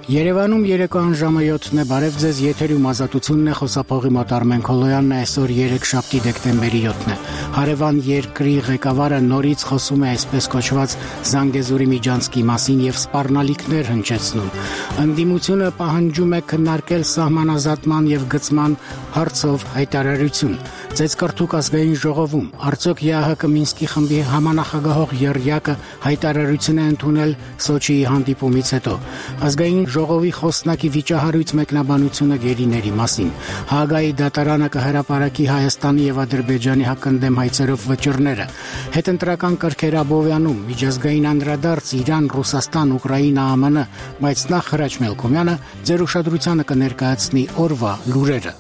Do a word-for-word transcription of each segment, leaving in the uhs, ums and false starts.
Երևանում երեկոյան ժամը յոթն է, բարև ձեզ, եթերում ազատությունն է, խոսափողի մոտ Արմեն Քոլոյանն է, այսօր երեքշաբթի դեկտեմբերի յոթն է։ Հարևան երկրի ղեկավարը նորից խոսում է այսպես կոչված Զանգեզուրի միջանցքի մասին եւ սպառնալիքներ հնչեցնում։ Ընդդիմությունը պահանջում է քննարկել սահմանազատման եւ գծման հարցով հայտարարություն։ Ծեծկռթուկ ազգային ժողովում արդյոք ԵԱՀԿ Մինսկի խմբի համանախագահող եռյակը հայտարարություն է ընդունել Սոչիի հանդիպումից հետո։ Ազգային ժողովի խոսնակի վիճահարույց մեկնաբանությունը գերիների մասին։ Հաագայի դատարանը կհրապարակի Հայաստանի եւ Ադրբեջանի հակընդդեմ հայցերով վճռները։ Հետընտրական կրքեր Աբովյանում, միջազգային անդրադարձ Իրան, Ռուսաստան, Ուկրաինա, ԱՄՆ, բայց նախ Հրաչ Մելքոմյանը ձեր ուշադրությանը կներկայացնի օրվա լուրերը։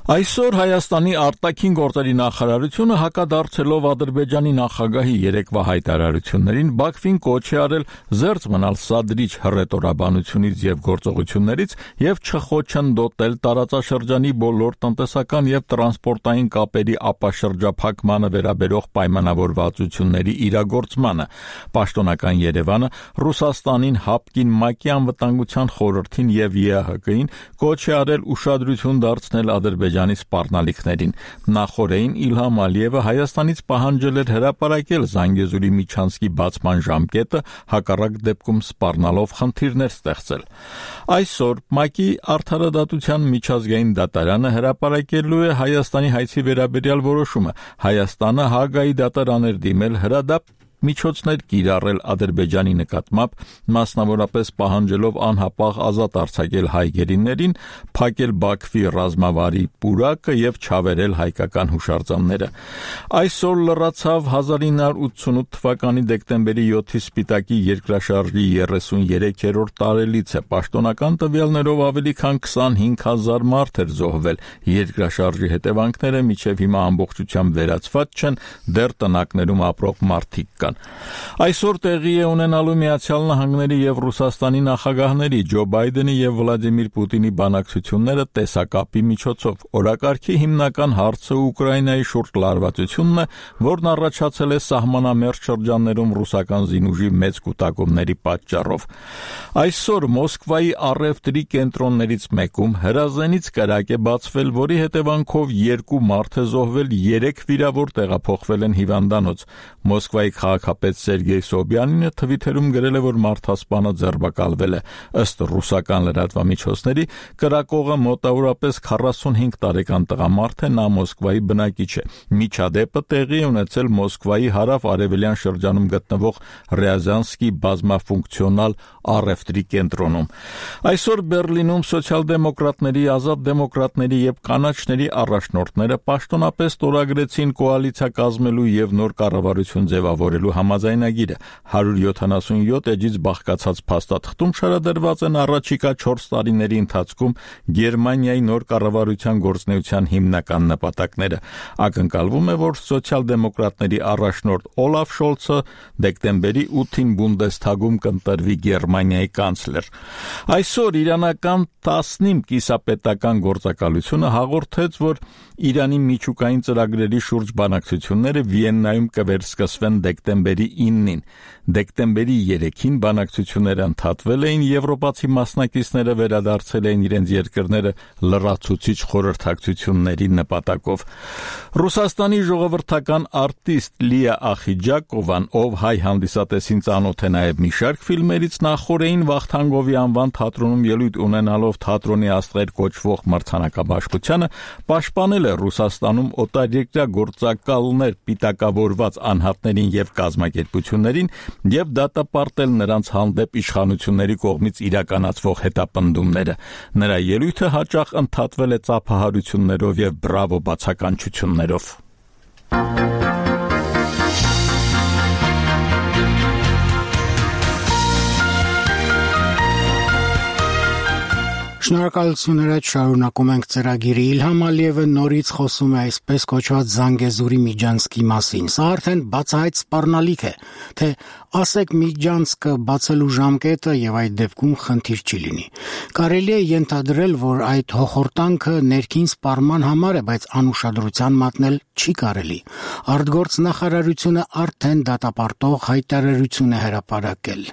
Այսօր Հայաստանի արտաքին գործերի նախարարությունը հակադարձելով Ադրբեջանի նախագահի երեկվա հայտարարություններին Բաքվին կոչ է արել զերծ մնալ սադրիչ հռետորաբանությունից եւ գործողություններից եւ չխոչընդոտել տարածաշրջանի բոլոր տնտեսական եւ տրանսպորտային կապերի ապաշրջափակմանը վերաբերող պայմանավորվածությունների իրագործմանը։ Պաշտոնական Երևանը Ռուսաստանին, ՀԱՊԿ-ին, ՄԱԿ-ի անվտանգության խորհրդին եւ ԵԱՀԿ-ին կոչ է արել ուշադրություն դարձնել Ադրբեջանի սպառնալիքներին։ Նախորդին Իլհամ Ալիևը Հայաստանից պահանջել էր հրապարակել Զանգեզուրի միջանցքի բացման ժամկետը, հակառակ դեպքում սպառնալով խնդիրներ ստեղծել։ Այսօր ՄԱԿ-ի Արդարադատության միջազգային դատարանը հրապարակելու է Հայաստանի հայցի վերաբերյալ որոշումը։ Հայաստանը Հաագայի դատարան էր դիմել հրադապ միջոցներ կիրառել Ադրբեջանի նկատմամբ, մասնավորապես պահանջելով անհապաղ ազատ արձակել հայ գերիներին, փակել Բաքվի ռազմավարի պուրակը եւ չավերել հայկական հուշարձանները։ Այսօր լրացավ հազար ինը հարյուր ութսունութ թվականի դեկտեմբերի յոթի Սպիտակի երկրաշարժի երեսուներեքերորդ տարելիցը։ Պաշտոնական տվյալներով ավելի քան քսանհինգ հազար մարդ էր զոհվել։ Երկրաշարժի հետևանքները մինչև հիմա ամբողջությամբ վերացված չեն, դեռ տնակներում ապրող մարդիկ կան։ Այսօր տեղի է ունենալու Միացյալ Նահանգների եւ Ռուսաստանի նախագահների Ջո Բայդենի եւ Վլադիմիր Պուտինի բանակցությունները տեսակապի միջոցով։ Օրակարգի հիմնական հարցը Ուկրաինայի շուրջ լարվածությունն է, որն առաջացել է սահմանամերձ շրջաններում ռուսական զինուժի մեծ կուտակումների պատճառով։ Այսօր Մոսկվայի առևտրի կենտրոններից մեկում հրազենից կրակ է բացվել, որի հետևանքով երկու մարդ է զոհվել, երեք վիրավոր տեղափոխվել են հիվանդանոց։ Մոսկվայի քաղաքապետ Սերգեյ Սոբյանինը թվիթերում գրել է, որ մարդասպանը ձերբակալվել է։ Ըստ ռուսական լրատվամիջոցների, կրակողը մոտավորապես քառասունհինգ տարեկան տղամարդ է, նա Մոսկվայի բնակիչ է։ Միջադեպը տեղի է ունեցել Մոսկվայի հարավ-արևելյան շրջանում գտնվող Ռեազանսկի բազմաֆունկցիոնալ առևտրի կենտրոնում։ Այսօր Բերլինում սոցիալ-դեմոկրատների, ազատ դեմոկրատների եւ կանաչների առաջնորդները պաշտոնապես ստորագրեցին կոալիցիա կազմելու եւ նոր կառավարություն ձևավորելու համաձայնագիրը։ հարյուր յոթանասունյոթ էջից բաղկացած փաստաթղթում շարադրված են առաջիկա չորս տարիների ընթացքում Գերմանիայի նոր կառավարության գործունեության հիմնական նպատակները։ Ակնկալվում է, որ սոցիալ-դեմոկրատների առաջնորդ Օլաֆ Շոլցը դեկտեմբերի ութին Բունդեսթագում կընտրվի Գերմանիայի կանցլեր։ Այսօր իրանական տասնինը կիսապետական գործակալությունը հաղորդեց, որ Իրանի միջուկային ծրագրերի շուրջ բանակցությունները Վիեննայում կվերսկսվեն դեկտեմբերի իննին։ Դեկտեմբերի երեքին բանակցությունները ընդհատվել էին, եվրոպացի մասնակիցները վերադարձել էին իրենց երկրները լրացուցիչ խորհրդակցությունների նպատակով։ Ռուսաստանի ժողովրդական արտիստ Լիա Ախիջակովան, ով հայ հանդիսատեսին ծանոթ է նաև մի շարք ֆիլմերից, նախորդին Վախթանգովի անվան թատրոնում ելույթ ունենալով թատրոնի աստղեր կոչվող մրցանակաբաշխությանը, պաշտպանել է Ռուսաստանում օտարերկրյա գործակալներ պիտակավորված անհատներին եւ կազմակերպություններին եւ դատապարտել նրանց հանդեպ իշխանությունների կողմից իրականացվող հետապնդումները։ Նրա ելույթը հաճախ ընդհատվել է ծափահարություններով եւ բրավո բացականչություններով։ Շնորհակալություն հրաչ, շարունակում ենք ծրագիրը։ Իլհամ Ալիևը նորից խոսում է այսպես կոչված Զանգեզուրի միջանցքի մասին։ Սա արդեն բացահայտ սպառնալիք է, թե ասեք միջանցքը բացելու ժամկետը եւ այդ դեպքում խնդիր չի լինի։ Կարելի է ենթադրել, որ այդ հոխորտանքը ներքին սպառման համար է, բայց անուշադրության մատնել չի կարելի։ Արտգործնախարարությունը արդեն դատապարտող հայտարարություն է հրապարակել։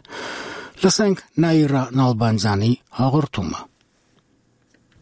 Լսենք Նաիրա Նալբանդյանի հաղորդումը։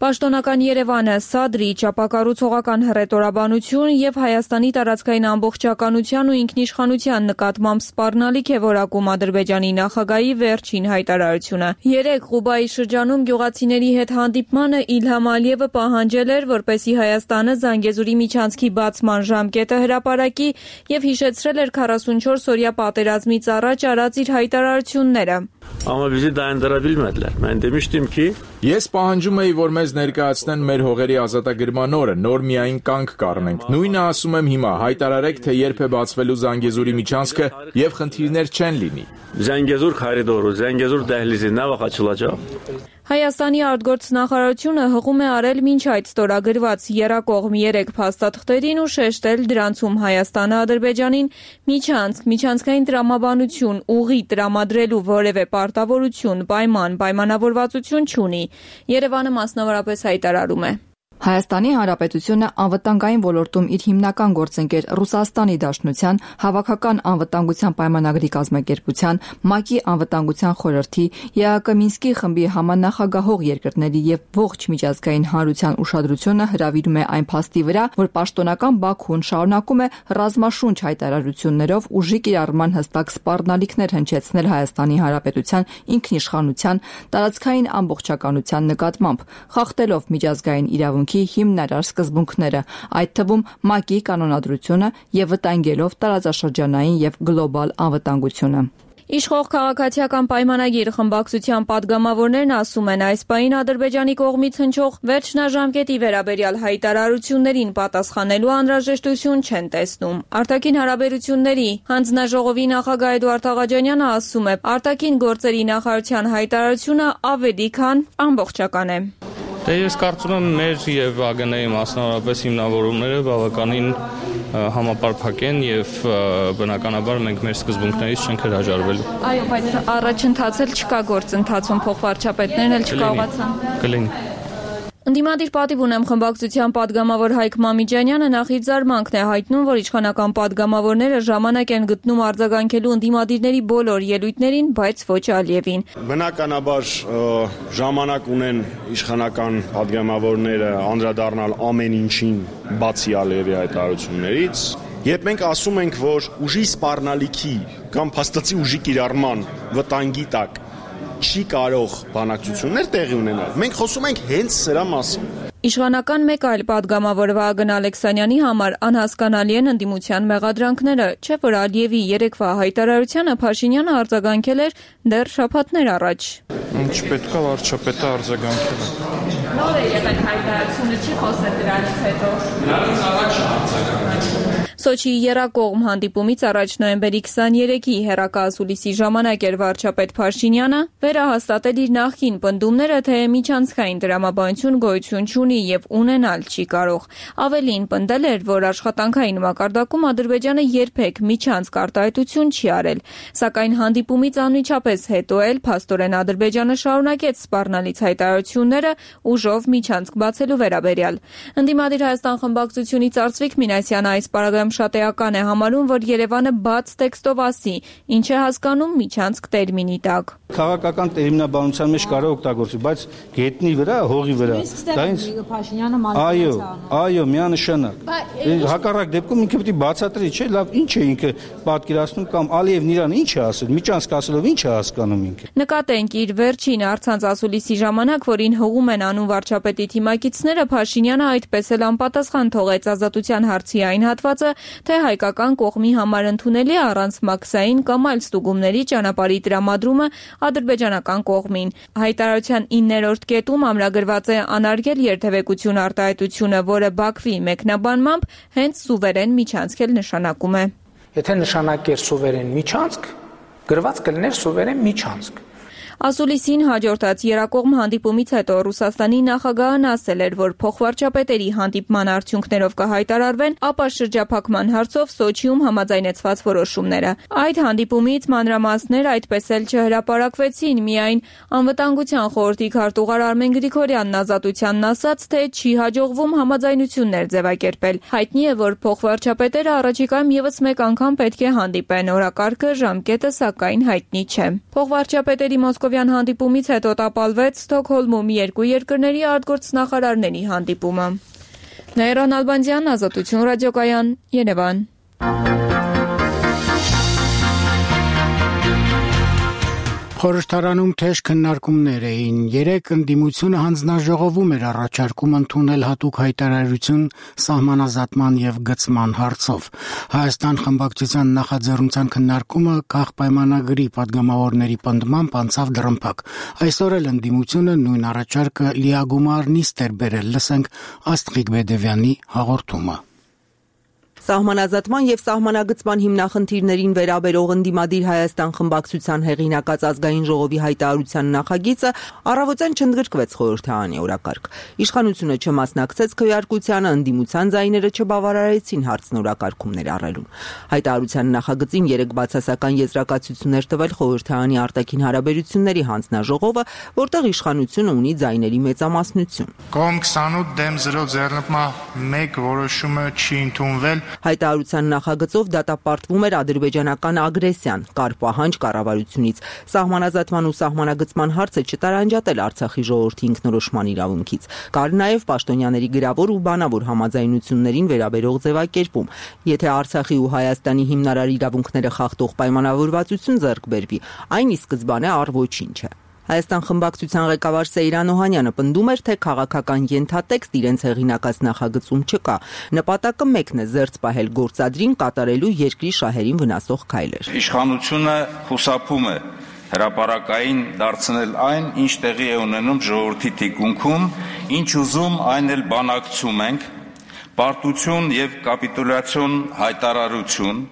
Պաշտոնական Երևանը, Սադրի, ճապակառուցողական հռետորաբանություն եւ Հայաստանի տարածքային ամբողջականության ու ինքնիշխանության նկատմամբ սպառնալիք է որակում Ադրբեջանի նախագահի վերջին հայտարարությունը։ Երեկ Ղուբայի շրջանում գյուղացիների հետ հանդիպմանը Իլհամ Ալիևը պահանջել էր, որպեսզի Հայաստանը Զանգեզուրի միջանցքի բացման ժամկետը հրապարակի եւ հիշեցրել էր քառասունչորս-օրյա պատերազմից առաջ արած իր հայտարարությունները։ Ama bizi dayandırabilmediler. Ben demiştim ki Ես պահանջում էի, որ մեզ ներկայացնեն մեր հողերի ազատագրման օրը, նոր միայն կանգ կառնենք։ Նույնը ասում եմ հիմա, հայտարարեք, թե երբ է բացվելու Զանգեզուրի միջանցքը եւ խնդիրներ չեն լինի։ Zengezur koridoru, Zengezur dəhlizi nə vaxt açılacaq? Հայաստանի արտգործնախարարությունը հղում է արել մինչ այդ ստորագրված եռակողմ երեք փաստաթղթերին ու շեշտել դրանցում Հայաստանը Ադրբեջանին միջանցք, միջանցքային տրամաբանություն, ուղի տրամադրելու որևէ պարտավորություն, պայման, պայմանավորվածություն չունի։ Երևանը մասնավորապես հայտարարում է. Հայաստանի Հանրապետությունը անվտանգային ոլորտում իր հիմնական գործընկեր Ռուսաստանի Դաշնության, Հավաքական անվտանգության պայմանագրի կազմակերպության, ՄԱԿ-ի անվտանգության խորհրդի, ԵԱԿ Մինսկի խմբի համանախագահող երկրների եւ ողջ միջազգային հանրության ուշադրությունը հրավիրում է այն փաստի վրա, որ պաշտոնական Բաքուն շարունակում է ռազմաշունչ հայտարարություններով ուժի կիրառման հստակ սպառնալիքներ հնչեցնել Հայաստանի Հանրապետության ինքնիշխանության, տարածքային ամբողջականության նկատմամբ, խախտելով միջազգային իրավունք հիմնարար սկզբունքները, այդ թվում ՄԱԿ-ի կանոնադրությունը եւ վտանգելով տարածաշրջանային եւ գլոբալ անվտանգությունը։ Իշխող քաղաքացիական պայմանագիր խմբակցության падգամավորներն ասում են, այս պահին Ադրբեջանի կողմից հնչող վերջնաժամկետի վերաբերյալ հայտարարություններին պատասխանելու անհրաժեշտություն չեն տեսնում։ Արտաքին հարաբերությունների հանձնաժողովի նախագահ Էդուարդ Աղաջանյանը ասում է, արտաքին գործերի նախարարության հայտարարությունը ավելի քան ամբողջական է։ Դե ես կարծում եմ մեր եւ ԱԳՆ-ի մասնավորապես հիմնավորումները բավականին համապարփակ են եւ բնականաբար մենք մեր սկզբունքներից չենք հրաժարվելու։ Այո, բայց առաջընթացել չկա գործընթացում, փոխվարչապետներն էլ չկարողացան։ Կլինի։ Ընդդիմադիր պատիվ ունեմ խմբակցության падգամավոր Հայկ Մամիջանյանը նախ իր զարմանքն է հայտնում, որ իշխանական падգամավորները ժամանակ են գտնում արձագանքելու ընդդիմադիրների բոլոր ելույթներին, բայց ոչ Ալիևին։ Բնականաբար ժամանակ ունեն իշխանական падգամավորները անդրադառնալ ամեն ինչին բացի Ալիևի հայտարարություններից։ Երբ մենք ասում ենք, որ ուժի սպառնալիքի կամ փաստացի ուժի կիրառման վտանգի տակ չի կարող բանակցություններ տեղի ունենալ, մենք խոսում ենք հենց սրա մասին։ Իշխանական մեկ այլ падգամավոր Վահագն Ալեքսանյանի համար անհասկանալի են ընդդիմության մեղադրանքները, չէ՞ որ Ալիևի երեկվա հայտարարությանը Փաշինյանը արձագանքել էր դեռ շաբաթներ առաջ։ Չպետք է վարչապետը արձագանքել։ Նոր է եղել հայտարարությունը, չի խոսել դրանից հետո։ Դրանից առաջ արձագանքել։ Սոչիի եռակողմ հանդիպումից առաջ նոյեմբերի քսաներեքի հեռակայասուլիսի ժամանակ էր վարչապետ Փաշինյանը վերահաստատել իր նախկին պնդումները, թե միջանցքային տրամաբանություն գոյություն չունի եւ ունենալ չի կարող։ Ավելին պնդել էր, որ աշխատանքային մակարդակում Ադրբեջանը երբեք միջանցք արտահայտություն չի արել, սակայն հանդիպումից անմիջապես հետո էլ փաստորեն Ադրբեջանը շարունակեց սպառնալից հայտարարությունները ուժով միջանցք բացելու վերաբերյալ։ Ընդդիմադիր Հայաստան խմբակցությունից Արծվիկ Մինասյանը այս պարագայում շատ էական է համարում, որ Երևանը բաց տեքստով ասի, ինչ է հասկանում միջանցք տերմինի տակ։ Քաղաքական տերմինաբանության մեջ կարող օգտագործի, բայց գետնի վրա, հողի վրա, դա ինձ Այո, այո, միանշանակ։ Հակառակ դեպքում ինքը պետք է բացատրի, չէ՞, լավ, ինչ է ինքը պատկերացնում կամ Ալիևն իրան ինչ է ասել, միջանցք ասելով ինչ է հասկանում ինքը։ Նկատենք իր վերջին առցանց ասուլիսի ժամանակ, որին հողում են անում վարչապետի թիմակիցները, Փաշինյանը այդպես էլ անպատասխան թողեց ազատության հարցի այն հատվածը, թե հայկական կողմի համար ընդունելի է առանց մաքսային կամ այլ ստուգումների ճանապարհի տրամադրումը ադրբեջանական կողմին։ Հայտարարության իններորդ կետում ամրագրված է անարգել երթևեկություն արտահայտությունը, որը Բաքվի մեկնաբանմամբ հենց սուվերեն միջանցք էլ նշանակում է։ Եթե նշանակեր սուվերեն միջանցք, գրված կլիներ սուվերեն միջանցք։ Ասուլիսին հաջորդած երկկողմ հանդիպումից հետո Ռուսաստանի նախագահն ասել էր, որ փոխվարչապետերի հանդիպման արդյունքներով կհայտարարվեն, ապա շրջափակման հարցով Սոչիում համաձայնեցված որոշումները։ Այդ հանդիպումից մանրամասներ այդպես էլ չհրապարակվեցին, միայն Անվտանգության խորհրդի քարտուղար Արմեն Գրիգորյանն ազատությանն ասաց, թե չի հաջողվում համաձայնություններ ձևակերպել։ Հայտնի է, որ փոխվարչապետերը առաջիկայում ևս մեկ անգամ պետք է հանդիպեն, օրակարգը, ժամկետը սակայն հայտնի չէ։ Փոխվարչապետերի մոսկովյան հանդիպումից հետո տապալվեց Ստոկհոլմում երկու երկրների արտգործնախարարների հանդիպումը։ Նայիրան Ալբանդյան, Ազատություն ռադիոկայան, Երևան։ Խորհրդարանում թեժ քննարկումներ էին։ Երեք ընդդիմությունը հանձնաժողովում էր առաջարկում ընդունել հատուկ հայտարարություն սահմանազատման եւ գծման հարցով։ Հայաստան խմբակցության նախաձեռնության քննարկումը քաղ պայմանագրի падգամավորների պնդմամբ անցավ դռնփակ։ Այսօր էլ ընդդիմությունը նույն առաջարկը լիագումար նիստ էր բերել։ Լսենք Աստղիկ Բեդևյանի հաղորդումը։ Սահմանազատման եւ սահմանագծման հիմնախնդիրներին վերաբերող ընդդիմադիր Հայաստան խմբակցության հեղինակած ազգային ժողովի հայտարարության նախագիծը առավոտյան չընդգրկվեց խորհրդարանի օրակարգ։ Իշխանությունը չմասնակցեց քվեարկությանը, ընդդիմության ձայները չբավարարեցին հարցն օրակարգում ներառելուն։ Հայտարարության նախագծին երեք բացասական եզրակացություններ տվել խորհրդարանի արտաքին հարաբերությունների հանձնաժողովը, որտեղ իշխանությունը ունի ձայների մեծամասնություն։ Կողմ քսանութ դեմ զրո ձեռնպման մեկ որոշումը չի ընդունվել։ Հայտարարության նախագծով դատապարտվում էր ադրբեջանական ագրեսիան, կար պահանջ կառավարությունից սահմանազատման ու սահմանագծման հարցը չտարանջատել Արցախի ժողովրդի ինքնորոշման իրավունքից։ Կար նաև պաշտոնյաների գրավոր ու բանավոր համաձայնություններին վերաբերող ձևակերպում։ Եթե Արցախի ու Հայաստանի հիմնարար իրավունքները խախտող պայմանավորվածություն ձեռք բերվի, այն ի սկզբանե առ ոչինչ է։ Հայաստան խմբակցության ղեկավար Սեյրան Օհանյանը պնդում էր, թե քաղաքական ենթատեքստ իրենց հեղինակած նախագծում չկա։ Նպատակը մեկն է՝ զերծ պահել գործադրին կատարելու երկրի շահերին վնասող քայլեր։ Իշխանությունը խուսափում է հրապարակային դարձնել այն, ինչ տեղի է ունենում ժողովրդի թիկունքում, ինչ ուզում այն էլ բանակցում ենք, պարտություն եւ կապիտուլյացիոն հայտարարություն,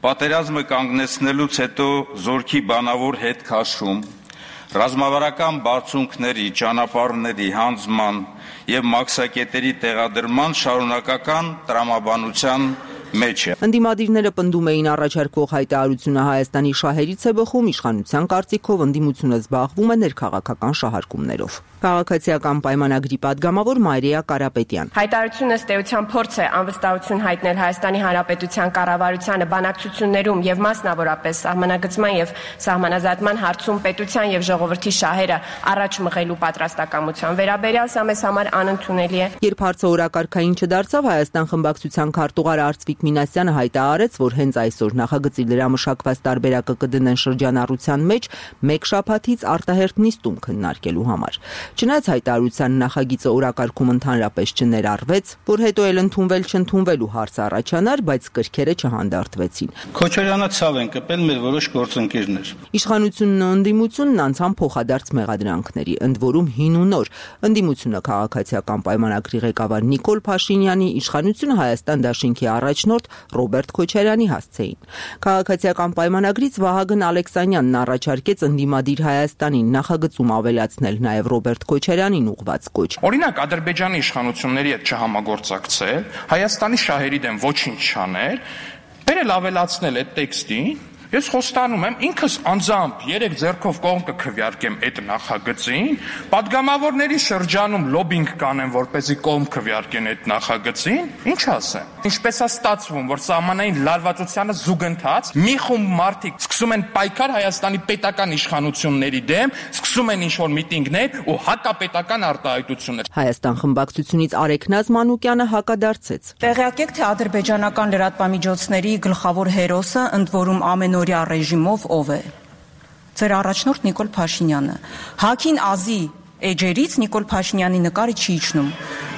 պատերազմը կանգնեցնելուց հետո զորքի բանավոր հետ քաշում, ռազմավարական բարձունքների, ճանապարհների հանձնման եւ մաքսակետերի տեղադրման շարունակական տրամաբանության մեջ է։ Ընդդիմադիրները պնդում էին առաջարկվող հայտարարությունը Հայաստանի շահերից է բխում, իշխանության կարծիքով ընդդիմությունը զբաղվում է ներքաղաքական շահարկումներով։ Քաղաքացիական պայմանագրի падգամավոր Մարիա Կարապետյան։ Հայտարարությունը ըստ էության փորձ է անվստահություն հայտնել Հայաստանի Հանրապետության կառավարությանը բանակցություններում եւ մասնավորապես սահմանագծման եւ սահմանազատման հարցում պետության եւ ժողովրդի շահերը առաջ մղելու պատրաստակամության վերաբերյալ սա մեզ համար անընդունելի է։ Երբ հարցը օրակարգային չդարձավ, Հայաստան խմբակցության քարտուղար Արծվիկ Մինասյանը հայտարարեց, որ հենց այսօր նախագծի լրամշակված տարբերակը կդնեն շրջանառության մեջ մեկ շաբաթից արտահերթ նիստում քննարկելու համար։ Չնայած հայտարարության նախագիծը օրակարգում ընդհանրապես չներառվեց, որ հետո էլ ընդունվել չընդունվելու հարց առաջանար, բայց կրքերը չհանդարտվեցին։ Քոչարյանը ցավ են կպել մեր որոշ գործընկերներ։ Իշխանությունն ու ընդդիմությունն անցան փոխադարձ մեղադրանքների, ընդ որում հին ու նոր։ Ընդդիմությունը քաղաքացիական պայմանագրի ղեկավար Նիկոլ Փաշինյանի, իշխանությունը Հայաստան դաշինքի առաջնորդ Ռոբերտ Քոչարյանի հասցեին։ Քաղաքացիական պայմանագրից Վահագն Ալեքսանյանն առաջարկեց ընդդիմադիր Հայաստանին նախագծում ավելացնել նաև Ռոբերտ Քոչարյանին ուղղված կոչ։ Օրինակ Ադրբեջանի իշխանությունների հետ չհամագործակցել, Հայաստանի շահերի դեմ ոչինչ չանել, բերել ավելացնել այդ տեքստին։ Ես խոստանում եմ ինքս անձամբ երեք ձեռքով կողմ կքվեարկեմ այդ նախագծին, падգամավորների շրջանում լոբինգ կանեմ, որպեսզի կողմ քվեարկեն այդ նախագծին, ինչ ասեմ։ Ինչպես է ստացվում, որ սահմանային լարվածությանը զուգընթաց մի խումբ մարդիկ սկսում են պայքար Հայաստանի պետական իշխանությունների դեմ, սկսում են ինչ-որ միտինգներ ու հակապետական արտահայտություններ։ Հայաստան խմբակցությունից Արեգ Նազմանուկյանը հակադարձեց։ Տեղյակ եք, թե ադրբեջանական լրատվամիջոցների գլխավոր հերոսը, ընդ որում ամեն ռեժիմով ով է։ Ձեր առաջնորդ Նիկոլ Փաշինյանը։ Հակին ազի էջերից Նիկոլ Փաշինյանի նկարը չի իջնում։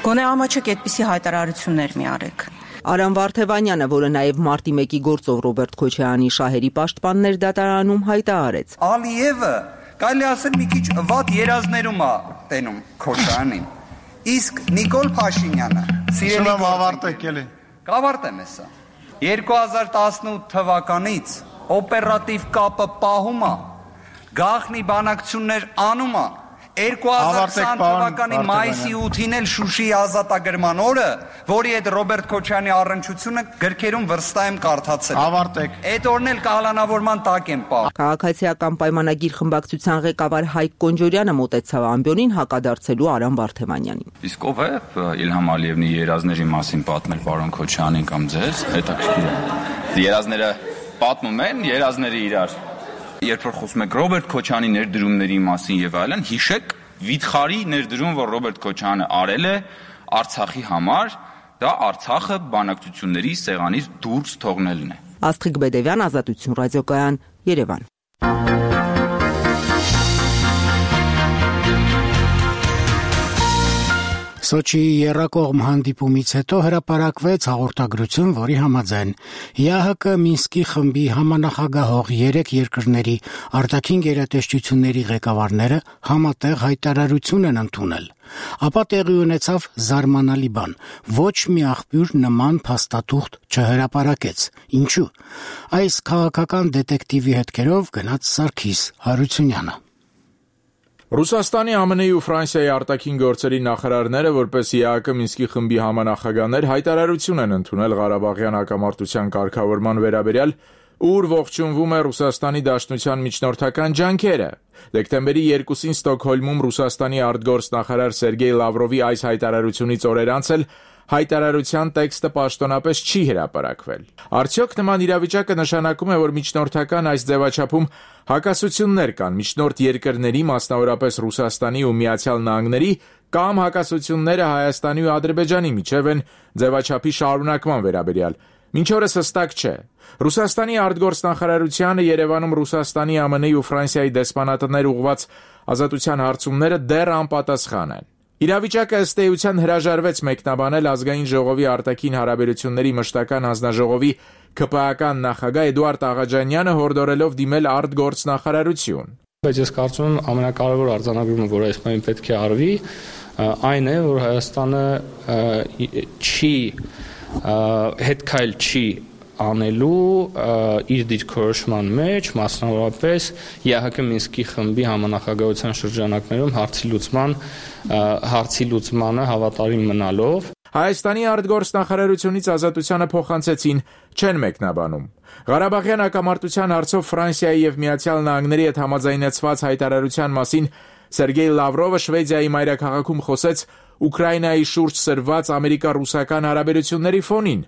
Գոնե ամաչեք այդպիսի հայտարարություններ մի արեք։ Արամ Վարդևանյանը, որը նաև մարտի մեկի գործով Ռոբերտ Քոչարյանի շահերի պաշտպաններ դատարանում հայտարարեց։ Ալիևը կարելի ասել մի քիչ վատ երազներում է տենում Քոչարյանին։ Իսկ Նիկոլ Փաշինյանը սիրելի ավարտեք էլի։ Կավարտեմ հեսա։ երկու հազար տասնութ թվականից օպերատիվ կապը պահում է գաղտնի բանակցություններ անում է երկու հազար քսան թվականի մայիսի ութին էլ Շուշիի ազատագրման օրը, որի հետ Ռոբերտ Քոչարյանի առնչությունը գրքերում վստահ եմ կարդացել։ Ավարտեք։ Այդ օրն էլ կահալանավորման տակ եմ պահ։ Քաղաքացիական պայմանագիր խմբակցության ղեկավար Հայկ Կոնջորյանը մոտեցավ ամբիոնին հակադարձելու Արամ Վարդևանյանին։ Իսկ ով է Իլհամ Ալիևնի երազների մասին պատմել պարոն Քոչարյանին կամ ձեզ, հետաքրքիր է։ Երազները պատմում են, երազները իրար։ Երբ որ խոսում եք Ռոբերտ Քոչարյանի ներդրումների մասին եւ այլն, հիշեք վիթխարի ներդրում, որ Ռոբերտ Քոչարյանը արել է Արցախի համար, դա Արցախը բանակցությունների սեղանից դուրս թողնելն է։ Աստղիկ Բեդևյան, Ազատություն ռադիոկայան, Երևան։ Սոչիի եռակողմ հանդիպումից հետո հրապարակվեց հաղորդագրություն, որի համաձայն ԵԱՀԿ Մինսկի խմբի համանախագահող երեք երկրների արտաքին գերատեսչությունների ղեկավարները համատեղ հայտարարություն են ընդունել։ Ապա տեղի ունեցավ զարմանալի բան. ոչ մի աղբյուր նման փաստաթուղթ չհրապարակեց։ Ինչու՞։ Այս քաղաքական դետեկտիվի հետքերով գնաց Սարգիս Հարությունյանը։ Ռուսաստանի, ԱՄՆ-ի ու Ֆրանսիայի արտաքին գործերի նախարարները, որպես ԵԱՀԿ Մինսկի խմբի համանախագահներ, հայտարարություն են ընդունել Ղարաբաղյան հակամարտության կարգավորման վերաբերյալ, ուր ողջունվում է Ռուսաստանի Դաշնության միջնորդական ջանքերը։ Դեկտեմբերի երկուսին Ստոկհոլմում Ռուսաստանի արտգործնախարար Սերգեյ Լավրովի այս հայտարարությունից օրեր անց էլ հայտարարության տեքստը պաշտոնապես չի հրապարակվել։ Արդյոք նման իրավիճակը նշանակում է, որ միջնորդական այս ձևաչափում հակասություններ կան միջնորդ երկրների, մասնավորապես Ռուսաստանի ու Միացյալ Նահանգների, կամ հակասությունները Հայաստանի ու Ադրբեջանի միջև են ձևաչափի շարունակման վերաբերյալ։ Մինչ օրս հստակ չէ։ Ռուսաստանի արտգործնախարարությանը Երևանում Ռուսաստանի, ԱՄՆ-ի ու Ֆրանսիայի դեսպանատներ ուղղված ազատության հարցումները դեռ անպատասխան են։ Իրավիճակը ըստ էության հրաժարվեց մեկնաբանել Ազգային ժողովի արտաքին հարաբերությունների մշտական հանձնաժողովի ՔՊԱ-ական նախագահ Էդուարդ Աղաջանյանը, հորդորելով դիմել արտգործնախարարություն։ Բայց ես կարծում եմ ամենակարևոր արձանագրումը, որ այս պահին պետք է արվի, այն է, որ Հայաստանը չի հետքայլ չի անելու իր դիրքորոշման մեջ, մասնավորապես ԵԱՀԿ Մինսկի խմբի համանախագահության շրջանակներում հարցի լուծման հարցի լուծմանը հավատարիմ մնալով։ Հայաստանի արտգործնախարարությունից ազատությանը փոխանցեցին, չեն մեկնաբանում։ Ղարաբաղյան հակամարտության հարցով Ֆրանսիայի եւ Միացյալ Նահանգների հետ համաձայնեցված հայտարարության մասին Սերգեյ Լավրովը Շվեդիայի մայրաքաղաքում խոսեց Ուկրաինայի շուրջ սրված ամերիկա-ռուսական հարաբերությունների ֆոնին։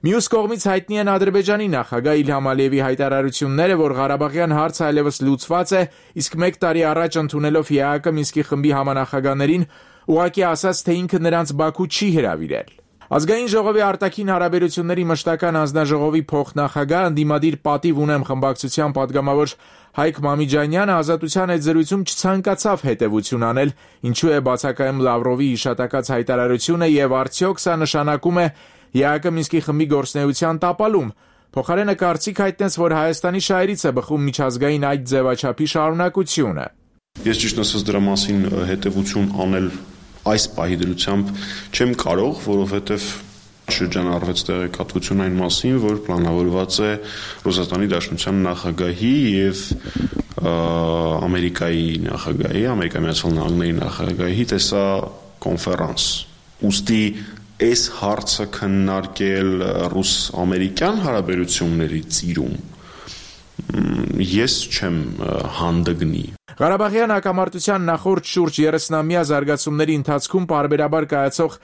Մյուս կողմից հայտնի են Ադրբեջանի նախագահ Իլհամ Ալիևի հայտարարությունները, որ Ղարաբաղյան հարցը այլևս լուծված է, իսկ մեկ տարի առաջ ընդունելով ԵԱՀԿ Մինսկի խմբի համանախագահներին ուղղակի ասաց, թե ինքը նրանց Բաքու չի հրավիրել։ Ազգային ժողովի արտաքին հարաբերությունների մշտական հանձնաժողովի փոխնախագահ ընդդիմադիր պատիվ ունեմ խմբակցության падգամավոր Հայկ Մամիջանյանը ազատության այդ զրույցում չցանկացավ հետևություն անել, ինչու է բացակայում Լավրովի հիշատակած հայտարարությունը եւ արդյոք սա նշանակում է ԵԱՀԿ Մինսկի խմբի գործունեության տապալում։ Փոխարենը կարծիք հայտնեց, որ Հայաստանի շահերից է բխում միջազգային այդ ձևաչափի շարունակությունը։ Ես ճիշտ ասած դրա մասին հետևություն անել այս պահի դրությամբ չեմ կարող, որովհետև շրջանառվեց տեղեկատվություն այն մասին, որ պլանավորված է Ռուսաստանի Դաշնության նախագահի եւ Ամերիկայի նախագահի, Ամերիկայի Միացյալ Նահանգների նախագահի տեսա կոնֆերանս։ Ուստի այս հարցը քննարկել ռուս-ամերիկյան հարաբերությունների ծիրում ես չեմ հանդգնի։ Ղարաբաղյան հակամարտության նախորդ շուրջ երեսնամյա զարգացումների ընթացքում պարբերաբար կայացող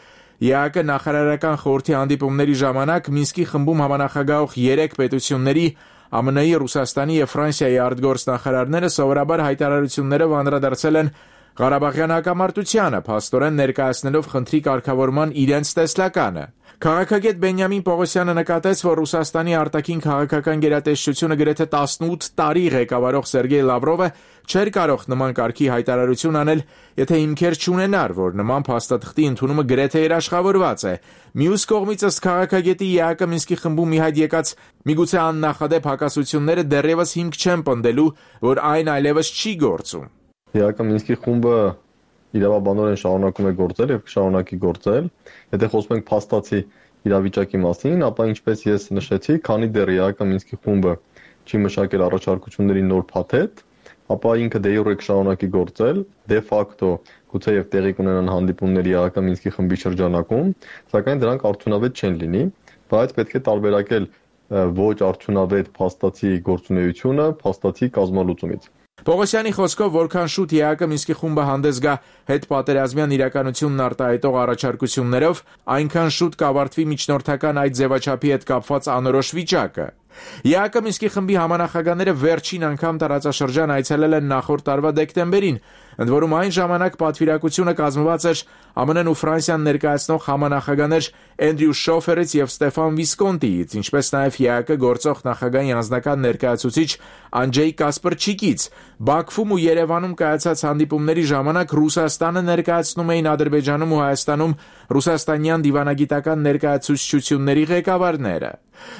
ԵԱՀԿ նախարարական խորհրդի հանդիպումների ժամանակ Մինսկի խմբում համանախագահող երեք պետությունների ԱՄՆ-ի, Ռուսաստանի եւ Ֆրանսիայի արտգործնախարարները սովորաբար հայտարարություններով անդրադարձել են Ղարաբաղյան հակամարտությանը, փաստորեն ներկայացնելով խնդրի կարգավորման իրենց տեսլականը։ Քաղաքագետ Բենյամին Պողոսյանը նկատեց, որ Ռուսաստանի արտաքին քաղաքական գերատեսչությունը գրեթե տասնութ տարի ղեկավարող Սերգեյ Լավրովը չէր կարող նման կարգի հայտարարություն անել, եթե հիմքեր չունենար, որ նման փաստաթղթի ընդունումը գրեթե երաշխավորված է։ Մյուս կողմից ըստ քաղաքագետի ԵԱՀԿ Մինսկի խմբում մի հայտ եկած միգուցե աննախադեպ հակասությունները դեռևս հիմք չեն պնդելու, որ այն այլևս չի գործում։ ԵԱՀԿ Մինսկի խումբը իրավաբանորեն շարունակում է գործել եւ կշարունակի գործել։ Եթե խոսում ենք փաստացի իրավիճակի մասին, ապա ինչպես ես նշեցի, քանի դեռ ԵԱՀԿ Մինսկի խումբը չի մշակել առաջարկությունների նոր փաթեթ, ապա ինքը դե յուրե կշարունակի գործել, դե ֆակտո գուցեև տեղի կունենան հանդիպումներ ԵԱՀԿ Մինսկի խմբի շրջանակում, սակայն դրանք արդյունավետ չեն լինի, բայց պետք է տարբերակել ոչ արդյունավետ փաստացի գործունեությունը փաստացի կազմալուծումից։ Պողոսյանի խոսքով, որքան շուտ ԵԱՀԿ Մինսկի խումբը հանդես գա հետպատերազմյան իրականությունն արտահայտող առաջարկություններով, այնքան շուտ կավարտվի միջնորդական այդ ձևաչափի հետ կապված անորոշ վիճակը։ ԵԱՀԿ Մինսկի խմբի համանախագահները վերջին անգամ տարածաշրջան այցելել են նախորդ տարվա դեկտեմբերին, ընդ որում այն ժամանակ պատվիրակությունը կազմված էր ԱՄՆ-ն ու Ֆրանսիան ներկայացնող համանախագահներ Էնդրյու Շոֆերից եւ Ստեֆան Վիսկոնտիից, ինչպես նաեւ ԵԱՀԿ գործող նախագահի անձնական ներկայացուցիչ Անջեյ Կասպրչիկից։ Բաքվում ու Երևանում կայացած հանդիպումների ժամանակ Ռուսաստանը ներկայացնում էին Ադրբեջանում ու Հայաստանում ռուսաստանյան դիվանագիտական ներկայացուցչությունների ղեկավարները։